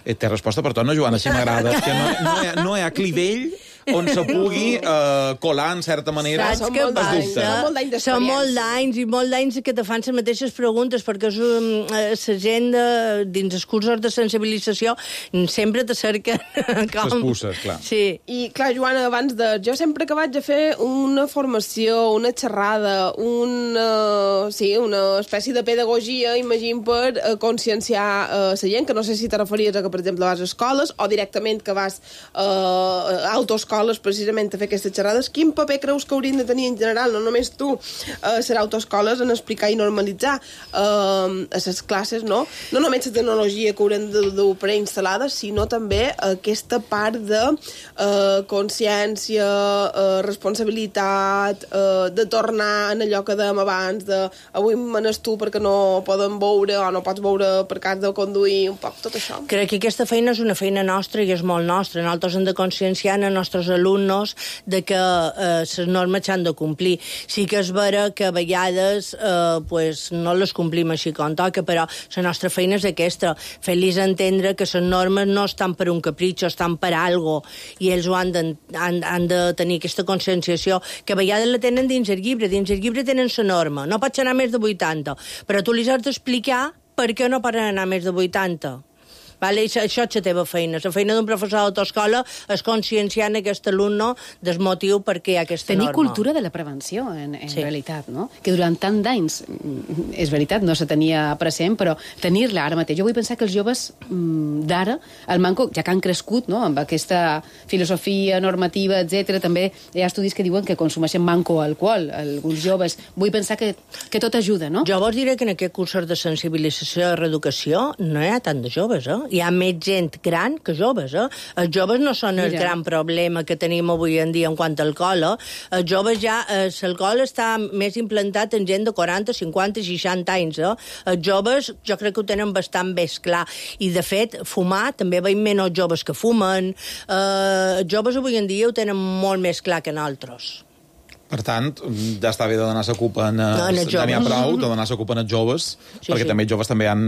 Eh, té resposta per tot, no, Joana? Així m'agrada. Que no, no, hi ha, no hi ha clivell on se pugui uh, colar, en certa manera, Saps què passa? Són molt d'anys i molt d'anys que te fan les mateixes preguntes, perquè és, um, la gent de, dins els cursos de sensibilització sempre te cerquen com... Les puces, clar. Sí. I, clar, Joana, abans de... Jo sempre que vaig a fer una formació, una xerrada, una, sí, una espècie de pedagogia, imagino, per uh, conscienciar uh, la gent, que no sé si te referies a que, per exemple, vas a escoles o directament que vas uh, a autoescoles precisament a fer aquestes xerrades. Quin paper creus que haurien de tenir en general, no només tu, eh, ser autoescoles, en explicar i normalitzar eh, a les classes, no? No només la tecnologia que haurem de dur preinstal·lada, sinó també aquesta part de eh, consciència, eh, responsabilitat, eh, de tornar en allò que dèiem abans, de avui manes tu perquè no poden veure o no pots veure per cas de conduir, un poc tot això. Crec que aquesta feina és una feina nostra i és molt nostra. Nosaltres hem de conscienciar els nostres alumnes de que eh, les normes s'han de complir. Sí que és vera que a vegades eh, pues, no les complim així com toca, però la nostra feina és aquesta, fer-los entendre que les normes no estan per un capritxo, estan per algo, i ells ho han de, han, han de tenir aquesta conscienciació, que a vegades la tenen dins el llibre, dins el llibre tenen la norma, no pots anar més de vuitanta, però tu li has d'explicar per què no poden anar més de vuitanta. Vale? Això, això és la teva feina. La feina d'un professor d'autoescola és conscienciar aquest alumne del motiu per què hi ha aquesta Tenir norma. Tenir cultura de la prevenció, en, en sí. realitat, no? Que durant tant d'anys, és veritat, no se tenia present, però tenir-la ara mateix. Jo vull pensar que els joves d'ara, el manco, ja que han crescut, no?, amb aquesta filosofia normativa, etcètera, també hi ha estudis que diuen que consumeixen manco alcohol, alguns joves. Vull pensar que, que tot ajuda, no? Jo vos diré que en aquest cursos de sensibilització i reeducació no hi ha tant de joves, eh? Hi ha més gent gran que joves, eh? Els joves no són el Mira. gran problema que tenim avui en dia en quant a alcohol, eh? Els joves ja, eh, l'alcohol està més implantat en gent de quaranta, cinquanta, seixanta anys, eh? Els joves jo crec que ho tenen bastant més clar, i de fet, fumar, també veiem menys joves que fumen, eh, els joves avui en dia ho tenen molt més clar que nosaltres. Per tant, ja està bé de donar la culpa en, no, en ja n'hi ha prou de donar la culpa en els joves, sí, perquè sí. també els joves també han,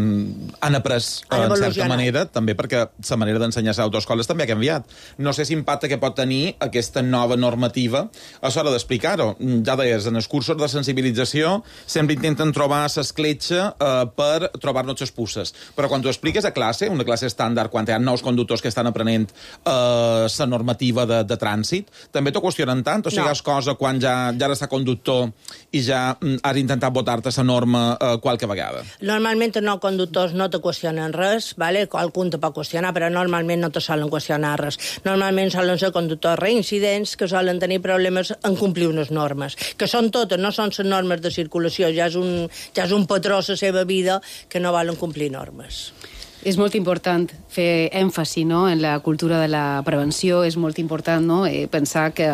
han après han en certa manera, també perquè la manera d'ensenyar a autoescoles també ha canviat. No sé si impacte que pot tenir aquesta nova normativa a l'hora d'explicar-ho. Ja deies, en els cursos de sensibilització sempre intenten trobar l'escletxa eh, per trobar-nos les puces. Però quan tu expliques a classe, una classe estàndard, quan hi ha nous conductors que estan aprenent la eh, normativa de, de trànsit, també t'ho qüestionen tant? O sigui, no. és cosa quan ja ja, ja està conductor i ja has intentat votar-te la norma eh, qualque vegada? Normalment no conductors no te qüestionen res, vale? Qualcun te pot qüestionar, però normalment no te solen qüestionar res. Normalment solen ser conductors reincidents que solen tenir problemes en complir unes normes, que són totes, no són les normes de circulació, ja és un, ja és un patró a la seva vida que no volen complir normes. És molt important fer èmfasi, no?, en la cultura de la prevenció, és molt important, no?, eh, pensar que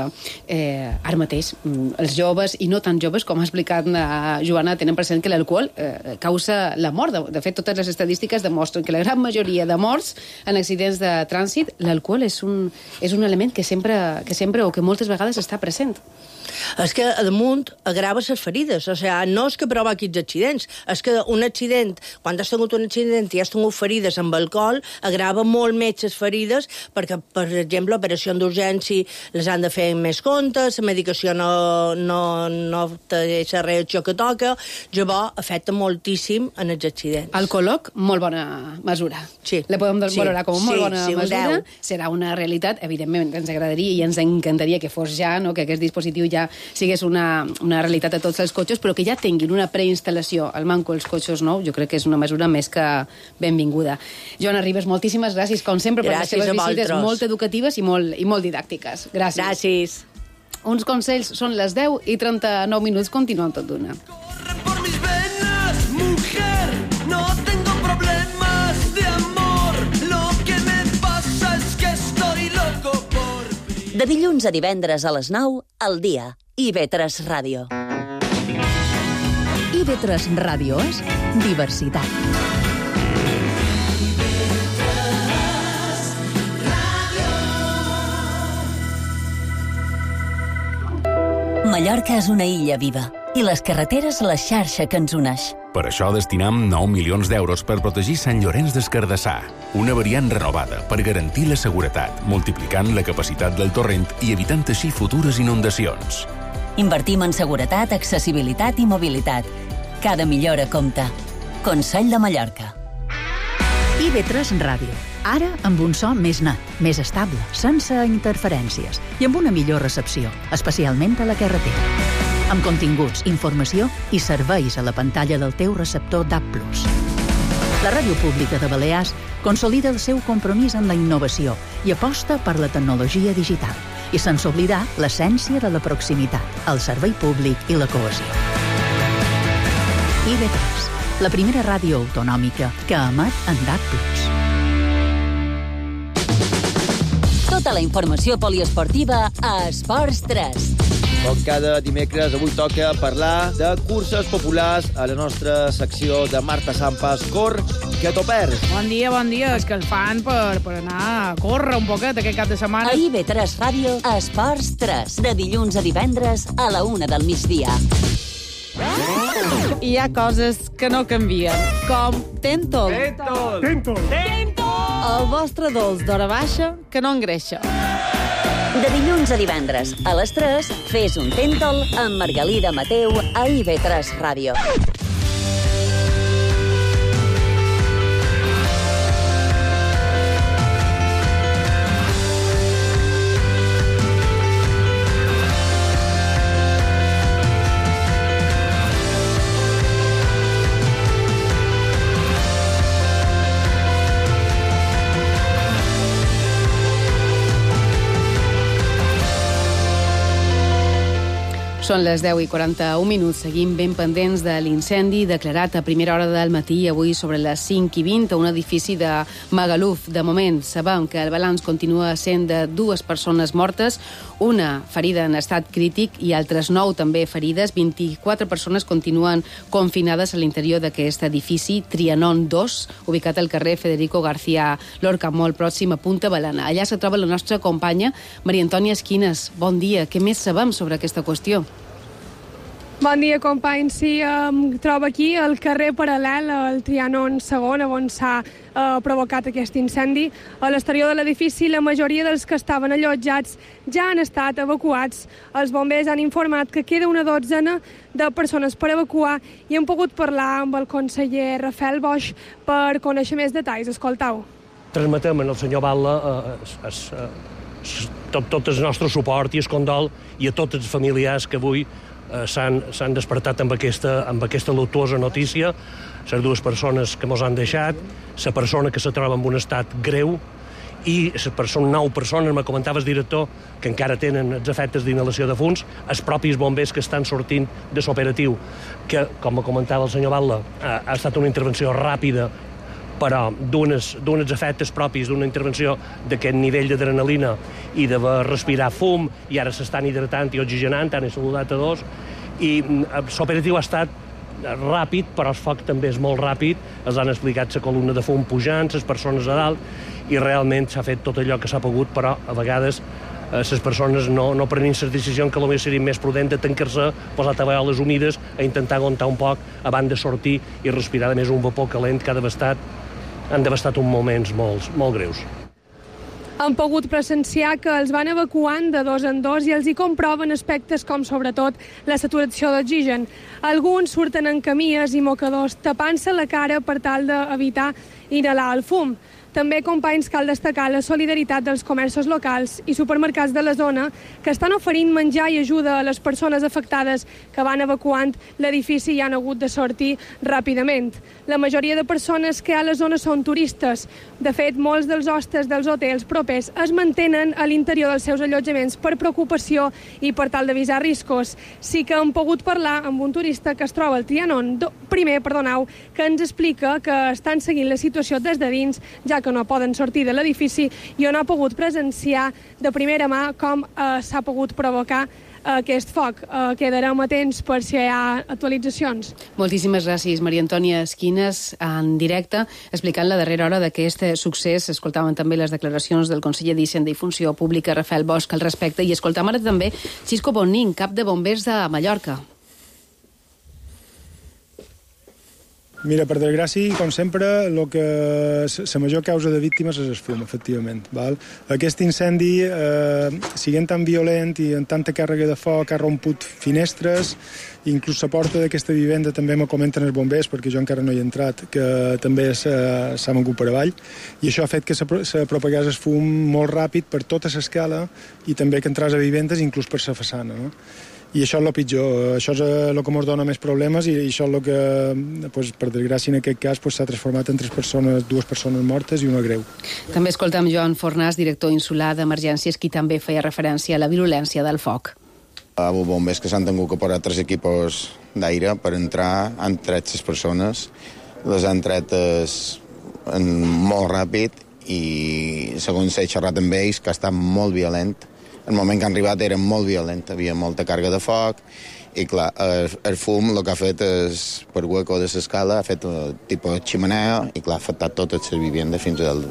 eh, ara mateix els joves, i no tan joves, com ha explicat la Joana, tenen present que l'alcohol eh, causa la mort. De, de fet, totes les estadístiques demostren que la gran majoria de morts en accidents de trànsit, l'alcohol és un, és un element que sempre, que sempre o que moltes vegades està present. És que, a damunt, agrava les ferides. O sigui, no és que provoqui els accidents, és que un accident, quan has tingut un accident i has tingut ferides amb alcohol, agrava molt més les ferides, perquè, per exemple, l'operació d'urgència les han de fer amb més comptes, la medicació no, no, no té la reacció que toca, llavors afecta moltíssim en els accidents. El col·loc, molt bona mesura. Sí. La podem sí. valorar com a molt sí, bona sí, mesura. Serà una realitat, evidentment, ens agradaria i ens encantaria que fos ja, no?, que aquest dispositiu ja sigués una, una realitat a tots els cotxes, però que ja tinguin una preinstal·lació al manco els cotxes nous, jo crec que és una mesura més que benvinguda. Joana Ribes, moltíssimes gràcies, com sempre, per les seves visites molt educatives i molt, i molt didàctiques. Gràcies. Gràcies. Uns consells, són les deu i trenta-nou minuts, continuem tot d'una. Por mis venas, mujer, no tengo problemas de amor. Lo que me pasa es que estoy loco por... De dilluns a divendres a les nou, al dia. I ve tres Ràdio. I ve tres Ràdio és diversitat. Mallorca és una illa viva i les carreteres la xarxa que ens uneix. Per això destinam nou milions d'euros per protegir Sant Llorenç des Cardassar, una variant renovada per garantir la seguretat, multiplicant la capacitat del torrent i evitant així futures inundacions. Invertim en seguretat, accessibilitat i mobilitat. Cada millora compta. Consell de Mallorca. I ve tres Ràdio. Ara amb un so més net, més estable, sense interferències i amb una millor recepció, especialment a la carretera. Amb continguts, informació i serveis a la pantalla del teu receptor D A B plus. La Ràdio Pública de Balears consolida el seu compromís amb la innovació i aposta per la tecnologia digital, i sense oblidar l'essència de la proximitat, el servei públic i la cohesió. I ve tres, la primera ràdio autonòmica que emet en D A B plus. Tota la informació poliesportiva a Esports tres. Com cada dimecres, avui toca parlar de curses populars a la nostra secció de Marta Sampas. Cor, que t'ho perds. Bon dia, bon dia. És que el fan per, per anar a córrer un poquet aquest cap de setmana. A I ve tres Ràdio, a Esports tres. De dilluns a divendres a la una del migdia. Hi ha coses que no canvien, com Tentol. Tentol. Tentol. Tentol. El vostre dolç d'hora baixa que no engreixa. De dilluns a divendres a les tres, fes un Tentol amb Margalida Mateu a I ve tres Ràdio. Són les deu i quaranta-un minuts. Seguim ben pendents de l'incendi declarat a primera hora del matí, avui sobre les cinc i vint, a un edifici de Magaluf. De moment, sabem que el balanç continua sent de dues persones mortes, una ferida en estat crític i altres nou també ferides. vint-i-quatre persones continuen confinades a l'interior d'aquest edifici, Trianon dos, ubicat al carrer Federico García Lorca, molt pròxim a Punta Balana. Allà se troba la nostra companya, Maria Antònia Esquines. Bon dia. Què més sabem sobre aquesta qüestió? Bon dia, companys. Sí, em trobo aquí al carrer paral·lel al Trianon segon, on s'ha eh, provocat aquest incendi. A l'exterior de l'edifici, la majoria dels que estaven allotjats ja han estat evacuats. Els bombers han informat que queda una dotzena de persones per evacuar i hem pogut parlar amb el conseller Rafael Boix per conèixer més detalls. Escoltau. Transmetem al senyor Batlle eh, es, es, tot, tot el nostre suport i el condol i a tots els familiars que avui eh, s'han despertat amb aquesta, amb aquesta luctuosa notícia. Les dues persones que mos han deixat, la persona que se troba en un estat greu i les persones, nou persones, me comentava el director, que encara tenen els efectes d'inhalació de fums, els propis bombers que estan sortint de l'operatiu, que, com me comentava el senyor Batlle, ha, ha estat una intervenció ràpida però d'uns efectes propis d'una intervenció d'aquest nivell d'adrenalina i de respirar fum, i ara s'estan hidratant i oxigenant, han saludat a dos, i l'operatiu ha estat ràpid, però el foc també és molt ràpid, els han explicat la columna de fum pujant, les persones a dalt, i realment s'ha fet tot allò que s'ha pogut, però a vegades les persones no, no prenen les decisions que potser seria més prudent de tancar-se, posar tabaioles humides, a intentar aguantar un poc abans de sortir i respirar, a més, un vapor calent que ha devastat, han devastat uns moments molt, molt greus. Han pogut presenciar que els van evacuant de dos en dos i els hi comproven aspectes com, sobretot, la saturació d'oxigen. Alguns surten en camies i mocadors tapant-se la cara per tal d'evitar inhalar el fum. També, companys, cal destacar la solidaritat dels comerços locals i supermercats de la zona que estan oferint menjar i ajuda a les persones afectades que van evacuant l'edifici i han hagut de sortir ràpidament. La majoria de persones que hi ha a la zona són turistes. De fet, molts dels hostes dels hotels propers es mantenen a l'interior dels seus allotjaments per preocupació i per tal d'avisar riscos. Sí que hem pogut parlar amb un turista que es troba al Trianon, primer, perdoneu, que ens explica que estan seguint la situació des de dins, ja que no poden sortir de l'edifici i on ha pogut presenciar de primera mà com eh, s'ha pogut provocar aquest foc. Eh, quedarem atents per si hi ha actualitzacions. Moltíssimes gràcies, Maria Antònia Esquines, en directe, explicant la darrera hora d'aquest succés. Escoltàvem també les declaracions del conseller d'Hisenda i Funció Pública, Rafael Bosch, al respecte, i escoltàvem ara també Xisco Bonin, cap de bombers de Mallorca. Mira, per desgràcia, com sempre, lo que la major causa de víctimes és el fum, efectivament. Val? Aquest incendi, eh, siguent tan violent i amb tanta càrrega de foc, ha romput finestres, inclús la porta d'aquesta vivenda també me comenten els bombers, perquè jo encara no hi he entrat, que també s'ha mogut per avall, i això ha fet que se propagés el fum molt ràpid per tota l'escala i també que entràs a vivendes, inclús per la façana, no? I això és el pitjor, això és el que ens dona més problemes i això és el que, pues, per desgràcia, en aquest cas s'ha transformat en tres persones, dues persones mortes i una greu. També escoltam Joan Fornàs, director insular d'Emergències, qui també feia referència a la virulència del foc. Els bombers que s'han tingut que posar tres equipos d'aire per entrar, han tret les persones, les han tret molt ràpid i, segons he xerrat amb ells, que ha estat molt violent. El moment que han arribat era molt violent, havia molta càrrega de foc i, clar, el, el fum el que ha fet és, per hueco de l'escala, ha fet un tipus de ximenea i, clar, ha afectat totes les vivendes fins al...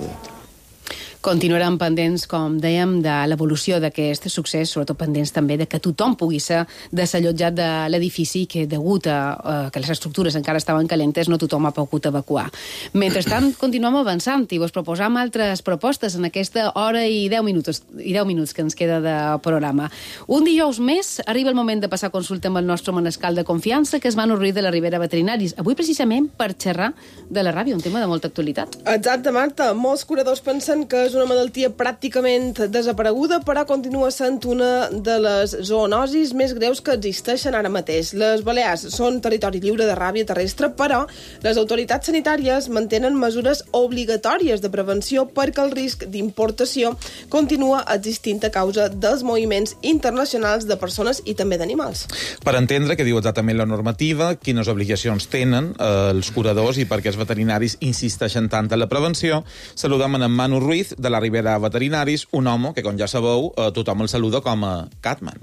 Continuaran pendents, com dèiem, de l'evolució d'aquest succés, sobretot pendents també de que tothom pugui ser desallotjat de l'edifici, que degut a uh, que les estructures encara estaven calentes no tothom ha pogut evacuar. Mentrestant, continuem avançant i vos proposam altres propostes en aquesta hora i deu minuts, i deu minuts que ens queda de programa. Un dijous més arriba el moment de passar consulta amb el nostre manescal de confiança, que és Manu Ruiz de la Ribera Veterinaris. Avui, precisament, per xerrar de la ràbia, un tema de molta actualitat. Exacte, Marta. Molts curadors pensen que és una malaltia pràcticament desapareguda, però continua sent una de les zoonosis més greus que existeixen ara mateix. Les Balears són territori lliure de ràbia terrestre, però les autoritats sanitàries mantenen mesures obligatòries de prevenció perquè el risc d'importació continua existint a causa dels moviments internacionals de persones i també d'animals. Per entendre què diu exactament la normativa, quines obligacions tenen eh, els curadors i per què els veterinaris insisteixen tant en la prevenció, saludem en Manu Ruiz, de la Ribera Veterinaris, un home que, com ja sabeu, eh, tothom el saluda com a Catman.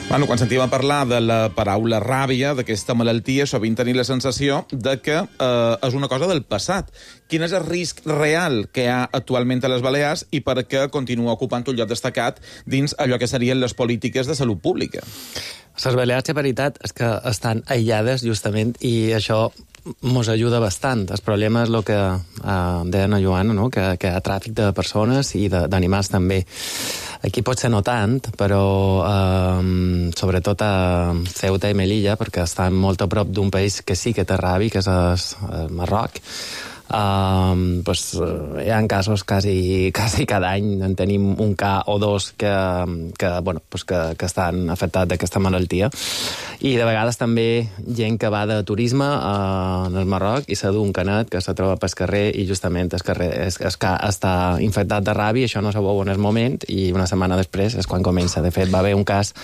Bueno, quan sentim a parlar de la paraula ràbia, d'aquesta malaltia, sovint tenim la sensació de que eh, és una cosa del passat. Quin és el risc real que hi ha actualment a les Balears i per què continua ocupant un lloc destacat dins allò que serien les polítiques de salut pública? Les Balears, la veritat, és que estan aïllades, justament, i això mos ajuda bastant. El problema és el que eh, deia la Joana, no? que, que hi ha tràfic de persones i d'animals també. Aquí potser no tant, però eh, sobretot a Ceuta i Melilla, perquè estan molt a prop d'un país que sí que té ràbia, que és el Marroc. Uh, pues, uh, hi ha casos quasi, quasi cada any, en tenim un cas o dos que, que, bueno, pues que, que estan afectats d'aquesta malaltia. I de vegades també gent que va de turisme uh, en el Marroc i s'ha d'un canet que se troba pel carrer i justament el carrer es, es, està infectat de ràbia, això no se veu en el moment i una setmana després és quan comença. De fet, va haver un cas,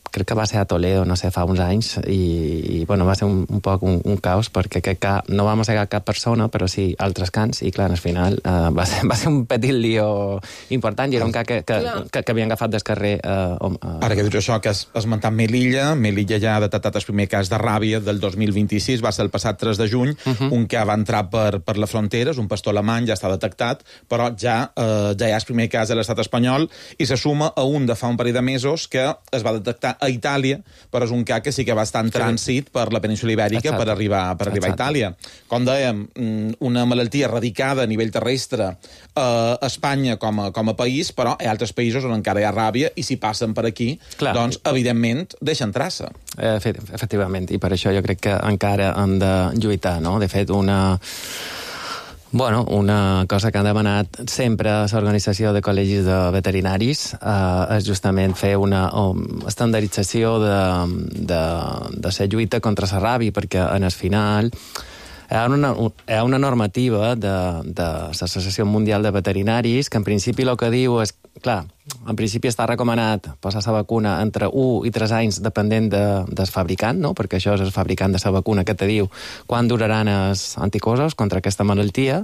crec que va ser a Toledo, no sé, fa uns anys, i, i bueno, va ser un, un poc un, un caos, perquè aquest cas no va mossegar cap persona, però sí altres cans, i clar, al final uh, va, ser, va ser un petit lío important, i era un cas que, que, que, que havien agafat del carrer. Uh, uh, Ara que dius això, que has esmentat Melilla, Melilla ja ha detectat el primer cas de ràbia del dos mil vint-i-sis, va ser el passat tres de juny, uh -huh. un que va entrar per, per la frontera, és un pastor alemany, ja està detectat, però ja, uh, ja hi ha el primer cas a l'estat espanyol, i se suma a un de fa un parell de mesos que es va detectar a Itàlia, però és un cas que sí que va estar en trànsit per la península ibèrica. Exacte. per arribar, per arribar a Itàlia. Com dèiem, una malaltia radicada a nivell terrestre a Espanya com a, com a país, però hi ha altres països on encara hi ha ràbia i si passen per aquí, clar, doncs, evidentment, deixen traça. Efectivament, i per això jo crec que encara hem de lluitar, no? De fet, una... Bueno, una cosa que han demanat sempre a l'Organització de Col·legis de Veterinaris eh, és justament fer una um, estandardització de, de, de la lluita contra la ràbia, perquè en el final hi ha una, hi ha una normativa de, de l'Associació Mundial de Veterinaris que en principi el que diu és, clar, en principi està recomanat posar la vacuna entre un i tres anys depenent de, del fabricant, no? Perquè això és el fabricant de la vacuna que te diu quan duraran els anticossos contra aquesta malaltia,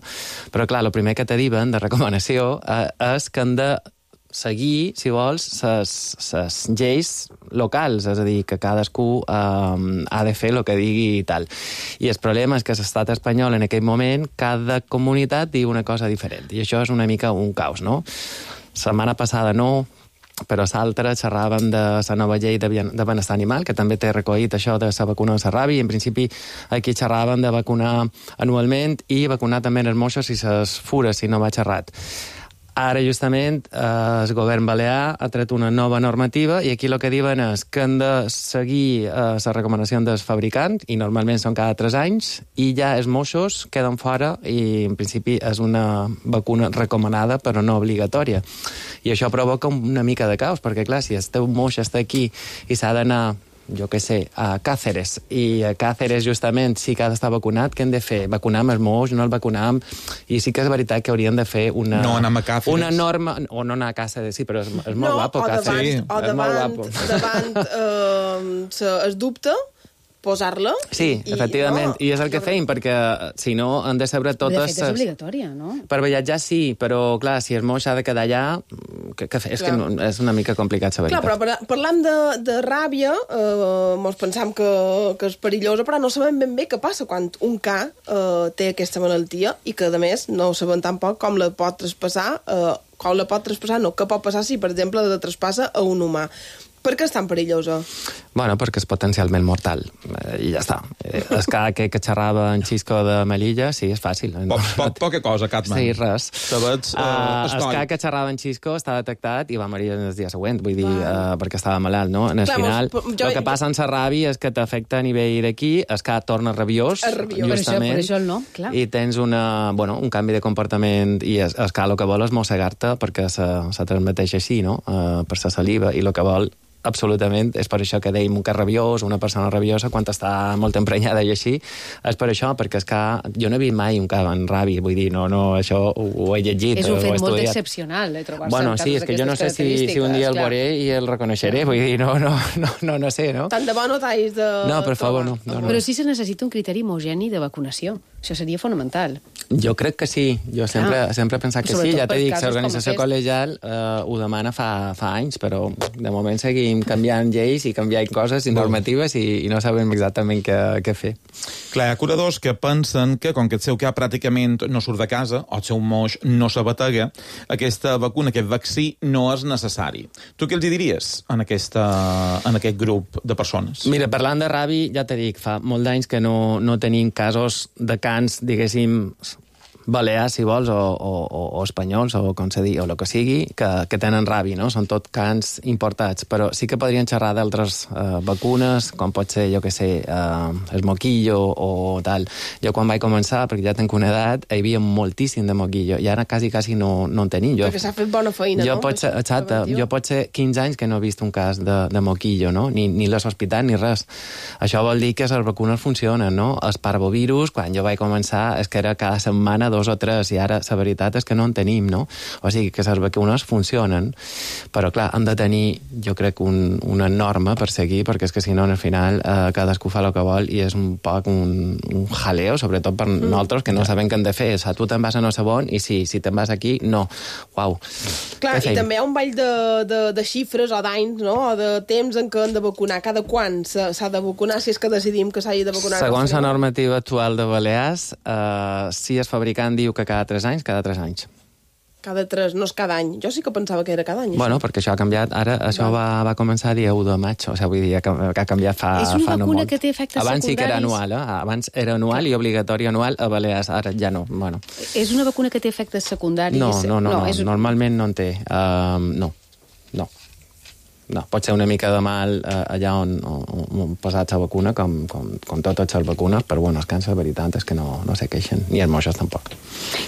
però clar, el primer que te diuen de recomanació eh, és que han de seguir, si vols, les lleis locals, és a dir, que cadascú eh, ha de fer el que digui i tal. I el problema és que l'estat espanyol en aquell moment, cada comunitat diu una cosa diferent, i això és una mica un caos, no? Setmana passada no, però l'altra xerraven de la nova llei de benestar animal, que també té recollit això de la vacuna de la ràbia, i en principi aquí xerraven de vacunar anualment i vacunar també els moixos i les fures, si no va xerrat. Ara, justament, eh, el govern balear ha tret una nova normativa i aquí el que diuen és que han de seguir eh, la recomanació del fabricant, i normalment són cada tres anys, i ja els moixos queden fora i, en principi, és una vacuna recomanada però no obligatòria. I això provoca una mica de caos, perquè, clar, si el teu moix està aquí i s'ha d'anar, jo què sé, a Càceres, i a Càceres justament sí que ha d'estar vacunat, què hem de fer? Vacunar els moix, no el vacunar? I sí que és veritat que haurien de fer una... No anar a Càceres. Una norma... O no anar a Càceres, sí, però és, és molt no, guapo, o Càceres. Davant, Sí, o és davant, molt guapo. davant eh, es dubte, posar-la. Sí, i, efectivament, no, i és el que feim, perquè si no han de saber totes... De fet, és obligatòria, no? Per viatjar sí, però clar, si el moix ha de quedar allà, que, que és, que no, és una mica complicat saber. Clar, però par parlant de, de ràbia, eh, mos pensam que, que és perillosa, però no sabem ben bé què passa quan un ca eh, té aquesta malaltia i que, a més, no sabem tampoc com la pot traspassar, eh, com la pot traspassar, no, què pot passar si, per exemple, la traspassa a un humà. Per què és tan perillosa? Bueno, perquè és potencialment mortal, eh, i ja està. Eh, el cas que, que xerrava en Xisco de Melilla, sí, és fàcil. Poc, poc, poca cosa, Catman. Sí, res. Sabets, uh, uh, el cas que xerrava en Xisco està detectat i va morir el dia següent, vull dir, uh, perquè estava malalt, no? En el Clar, final, mos, jo, el que passa en la ràbia és que t'afecta a nivell d'aquí, el cas torna rabiós, rabiós. justament, per això, per això el no, clar. i tens una, bueno, un canvi de comportament, i el, el cas el que vol és mossegar-te perquè se, se transmeteix així, no? Uh, per la saliva, i el que vol absolutament, és per això que dèiem un cas rabiós, una persona rabiosa, quan està molt emprenyada i així, és per això, perquè és que jo no he vist mai un cas en ràbia, vull dir, no, no, això ho, ho he llegit. És un fet molt estudiat. excepcional, eh, trobar-se bueno, en sí, casos és que jo no sé si, si un dia el veuré i el reconeixeré, vull dir, no, no, no, no, no sé, no? Tant de bo no t'hagis de... No, per favor, no, no, no. Però sí se necessita un criteri homogeni de vacunació. Això seria fonamental. Jo crec que sí. Jo sempre, ah. sempre he pensat que sí. Ja t'he dit, l'organització col·legial eh, ho demana fa, fa anys, però de moment seguim canviant lleis i canviant coses i normatives i, i no sabem exactament què, què fer. Clar, hi ha curadors que pensen que, com que el seu cap pràcticament no surt de casa, o el seu moix no s'abatega, aquesta vacuna, aquest vaccí, no és necessari. Tu què els diries en, aquesta, en aquest grup de persones? Mira, parlant de ràbia, ja t'he dit, fa molt d'anys que no, no tenim casos de cans, diguéssim, balears, si vols, o, o, o espanyols, o com se digui, o el que sigui, que, que tenen ràbia, no? Són tot cans importats, però sí que podrien xerrar d'altres eh, vacunes, com pot ser, jo què sé, eh, el moquillo o tal. Jo quan vaig començar, perquè ja tenc una edat, hi havia moltíssim de moquillo, i ara quasi, quasi no, no en tenim. Jo, perquè s'ha fet bona feina, jo no? Pot ser, exacte, jo pot ser quinze anys que no he vist un cas de, de moquillo, no? Ni, ni les hospitals ni res. Això vol dir que les vacunes funcionen, no? El parvovirus, quan jo vaig començar, és que era cada setmana dos o tres, i ara la veritat és que no en tenim, no? O sigui, que les vacunes funcionen, però clar, han de tenir, jo crec, un, una norma per seguir, perquè és que si no, al final, eh, cadascú fa el que vol i és un poc un, un jaleo, sobretot per mm. nosaltres, que no sabem què hem de fer. O sigui, tu te'n vas a no sé on i sí, si te'n vas aquí, no. Uau. Clar, i també hi ha un ball de, de, de xifres o d'anys, no? O de temps en què han de vacunar. Cada quan s'ha de vacunar, si és que decidim que s'hagi de vacunar? Segons la normativa actual de Balears, eh, si el fabricant diu que cada tres anys, cada tres anys. Cada tres, no és cada any. Jo sí que pensava que era cada any. Bueno, això. Perquè això ha canviat. Ara això va, va començar el dia u de maig. O sigui, vull dir, que ha canviat fa, és una fa no vacuna molt. Que té efectes Abans secundaris. sí que era anual, eh? Abans era anual i obligatori anual a Balears. Ara ja no. Bueno. És una vacuna que té efectes secundaris? No, no, no. no, no. És... Normalment no en té. Uh, no, no. No, pot ser una mica de mal eh, allà on, on, on posat la vacuna, com, com, com totes les vacunes, però bueno, els cans, la veritat és que no, no se queixen, ni els moixos tampoc.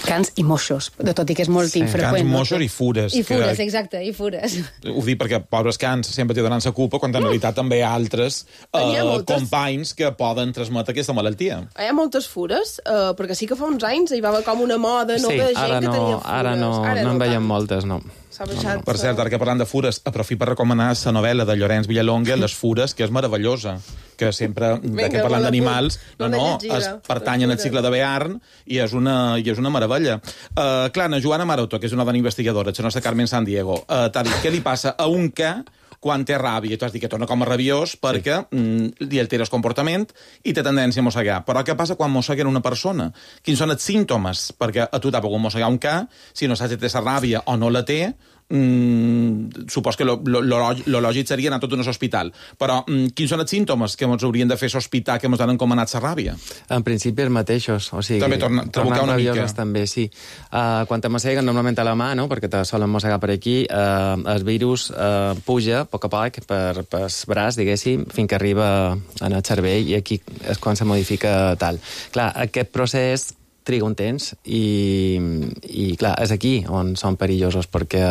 Cans i moixos, de tot i que és molt sí. infreqüent. Cans, moixos i fures. I fures, que... exacte, i fures. Ho dic perquè pobres cans sempre t'hi donen la culpa, quan en realitat també hi ha altres eh, companys que poden transmetre aquesta malaltia. Hi ha moltes fures, eh, perquè sí que fa uns anys hi va haver com una moda, no, sí, de gent ara que no, tenia fures. Ara no, ara no, no en veiem moltes, no. No, no. Per cert, ara que parlant de fures, aprofit per recomanar la novel·la de Llorenç Villalonga, Les fures, que és meravellosa, que sempre, Venga, que parlant d'animals, no, no, es pertany al cicle de Bearn i és una, i és una meravella. Uh, clar, na Joana Maroto, que és una dona investigadora, la nostra Carmen San Diego, uh, t'ha dit què li passa a un ca quan té ràbia, i tu has dit que torna com a rabiós perquè sí. mm, li altera el comportament i té tendència a mossegar. Però què passa quan mosseguen una persona? Quins són els símptomes? Perquè a tu t'ha pogut mossegar un ca, si no saps si té la ràbia o no la té, mm, supos que lo, lo, lo, lo lògic seria anar tot a un hospital. Però mm, quins són els símptomes que ens haurien de fer sospitar que ens han encomanat la ràbia? En principi els mateixos. O sigui, també torna, tornar una mica. També, sí. Uh, quan te mosseguen normalment a la mà, no? Perquè te solen mossegar per aquí, uh, el virus uh, puja a poc a poc per, per el braç, diguéssim, fins que arriba en el cervell i aquí és quan se modifica tal. Clar, aquest procés triga un temps i, i clar, és aquí on són perillosos perquè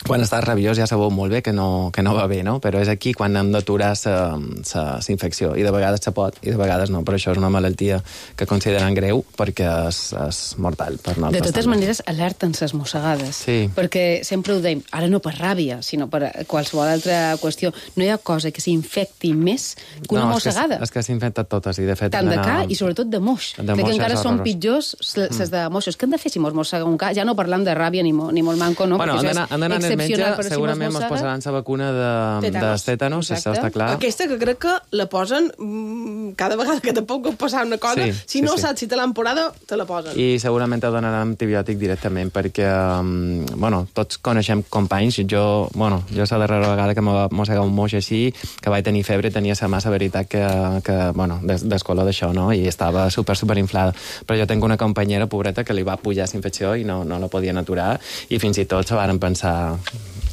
quan estàs rabiós ja sabeu molt bé que no, que no va bé, no? Però és aquí quan hem d'aturar la infecció. I de vegades se pot, i de vegades no. Però això és una malaltia que consideren greu perquè és, és mortal per nosaltres. De totes també. maneres, alerten ses mossegades. Sí. Perquè sempre ho deim, ara no per ràbia, sinó per qualsevol altra qüestió. No hi ha cosa que s'infecti més que una no, mossegada. És que, és que s'infecten totes. I de fet, tant de ca i sobretot de moix. De moix que encara són horrorós. pitjors les mm. de moixos. Què hem de fer si mos mossega un ca? Ja no parlant de ràbia ni, mo, ni molt manco, no? Bueno, han d'anar en el metge, però segurament si mos posaran la vacuna de tètanos, això està clar. Aquesta que crec que la posen mmm, cada vegada que te pot passar una cosa, sí, si sí, no sí. saps si te l'han posada, te la posen. I segurament te donaran antibiòtic directament, perquè, um, bueno, tots coneixem companys, jo, bueno, jo la darrera vegada que m'ha mossegat un moix així, que vaig tenir febre, tenia la massa veritat que, que bueno, des, descolor d'això, no? I estava super, super inflada. Però jo tinc una companyera, pobreta, que li va pujar la infecció i no, no la podien aturar, i fins i tot se varen pensar...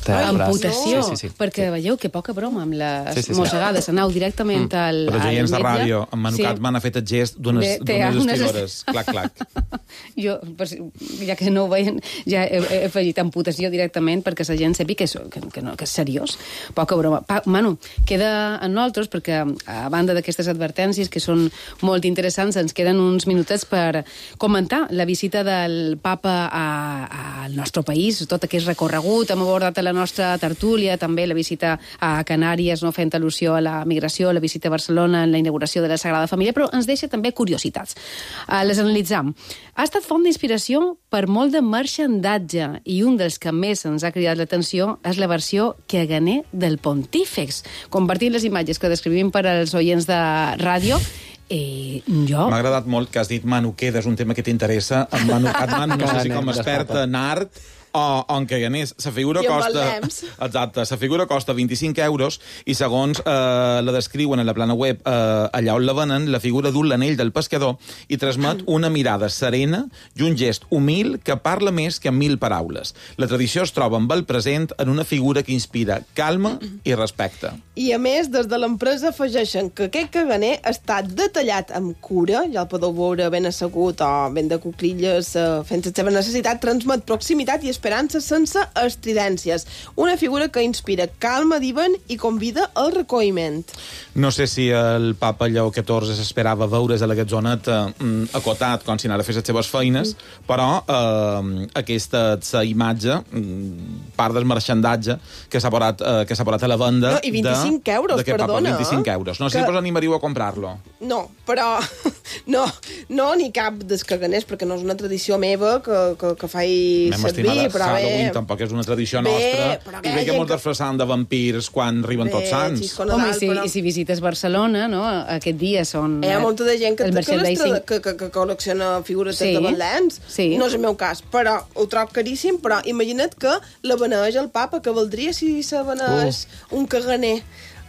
Amputació, sí, sí, sí. perquè veieu que poca broma amb les sí, sí, sí. mossegades, anau directament mm. al, al metge. Però els oients de ràdio, en Manu sí. Catman ha fet el gest d'unes estridores. Clac, clac. Jo, ja que no ho veien, ja he, he afegit amputació directament perquè la gent sepi que és, que, que, no, que és seriós. Poca broma. Pa, Manu, queda en nosaltres, perquè a banda d'aquestes advertències que són molt interessants, ens queden uns minutets per comentar la visita del papa a, al nostre país, tot aquest recorregut. Hem abordat a la nostra tertúlia, també la visita a Canàries, no fent al·lusió a la migració, la visita a Barcelona, en la inauguració de la Sagrada Família, però ens deixa també curiositats. Uh, les analitzam. Ha estat font d'inspiració per molt de marxandatge i un dels que més ens ha cridat l'atenció és la versió caganer del Pontífex. Compartint les imatges que descrivim per als oients de ràdio, Eh, jo... M'ha agradat molt que has dit Manu Queda, és un tema que t'interessa. En Manu Catman, no sé si com experta en art o, o en caganers. La figura I amb costa... el Lems. Exacte, la figura costa vint-i-cinc euros i segons eh, la descriuen a la plana web eh, allà on la venen, la figura du l'anell del pescador i transmet una mirada serena i un gest humil que parla més que mil paraules. La tradició es troba amb el present en una figura que inspira calma i respecte. I a més, des de l'empresa afegeixen que aquest caganer està detallat amb cura, ja el podeu veure ben assegut o ben de cuclilles eh, fent la seva necessitat, transmet proximitat i esperança sense estridències. Una figura que inspira calma, diuen, i convida al recolliment. No sé si el papa Lleó catorze s'esperava veure's a la gatzoneta eh, acotat com si anara a fer les seves feines, mm. però eh, aquesta la imatge, part del marxandatge que s'ha posat, eh, que s'ha posat a la venda... No, i vint-i-cinc de, euros, de perdona. perdona. vint-i-cinc euros. No sé que... si vos animaríeu a comprar-lo. No, però... No, no ni cap dels caganers, perquè no és una tradició meva que, que, que faig servir, però bé... Halloween tampoc és una tradició bé, nostra. I bé que mos disfressam de vampirs quan arriben bé, tots sants. Home, i si, però... i si visites Barcelona, no? Aquest dia són... Hi ha molta de gent que, que, que, que, que, que col·lecciona figures sí. de betlens. Sí. No és el meu cas, però ho trobo caríssim, però imagina't que la beneix el papa, que valdria si se beneix uh. un caganer.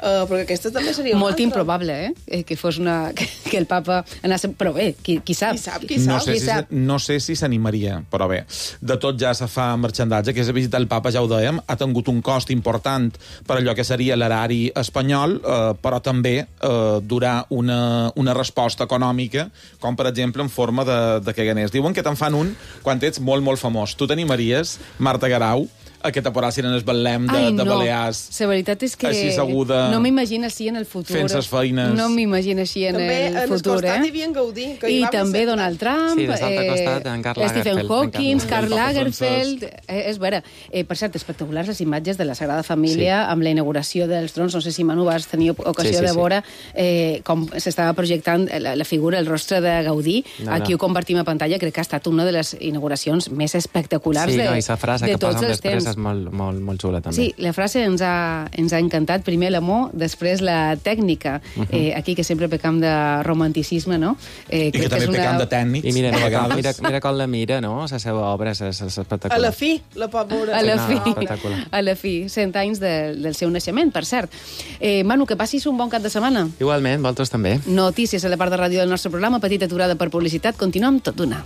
Uh, perquè aquesta també seria molt improbable, eh? Que fos una... que, que el papa anés... Però bé, qui, qui sap? Qui sap, qui sap. No sé qui si, sap. no sé si s'animaria, però bé. De tot ja se fa marxandatge, que és a visitar el papa, ja ho dèiem, ha tingut un cost important per allò que seria l'erari espanyol, eh, però també eh, durar una, una resposta econòmica, com per exemple en forma de, de caganers. Diuen que te'n fan un quan ets molt, molt famós. Tu t'animaries, Marta Garau, a que t'aporassin en el Betlem de, Ai, no. de Balears. La veritat és que així seguda, no m'imagino així en el futur. Fent ses feines. No m'imagino així en també el en futur, el costat eh? hi havia en Gaudí. Que I hi va també ser... Donald Trump, sí, de l'altre costat, en Karl Stephen Lagerfeld, Hawking, en Karl Karl Lagerfeld... Eh, és vera. Eh, per cert, espectaculars les imatges de la Sagrada Família sí. amb la inauguració dels trons. No sé si, Manu, vas tenir ocasió sí, sí, de veure eh, com s'estava projectant la, la figura, el rostre de Gaudí. No, Aquí no. ho compartim a pantalla. Crec que ha estat una de les inauguracions més espectaculars sí, de, no, i la frase de que tots posen els després temps. és molt, molt, molt xula, també. Sí, la frase ens ha, ens ha encantat. Primer l'amor, després la tècnica. Uh -huh. eh, aquí, que sempre pecam de romanticisme, no? Eh, I que també una... pecam de tècnics. I mira, mira, mira, mira com la mira, no? La seva obra és, és espectacular. A la fi, la pot veure. A la fi, no, a la fi. Cent anys de, del seu naixement, per cert. Eh, Manu, que passis un bon cap de setmana. Igualment, vosaltres també. Notícies a la part de ràdio del nostre programa, petita aturada per publicitat. Continuem tot d'una.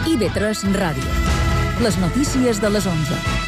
I V tres Ràdio. Les notícies de les onze.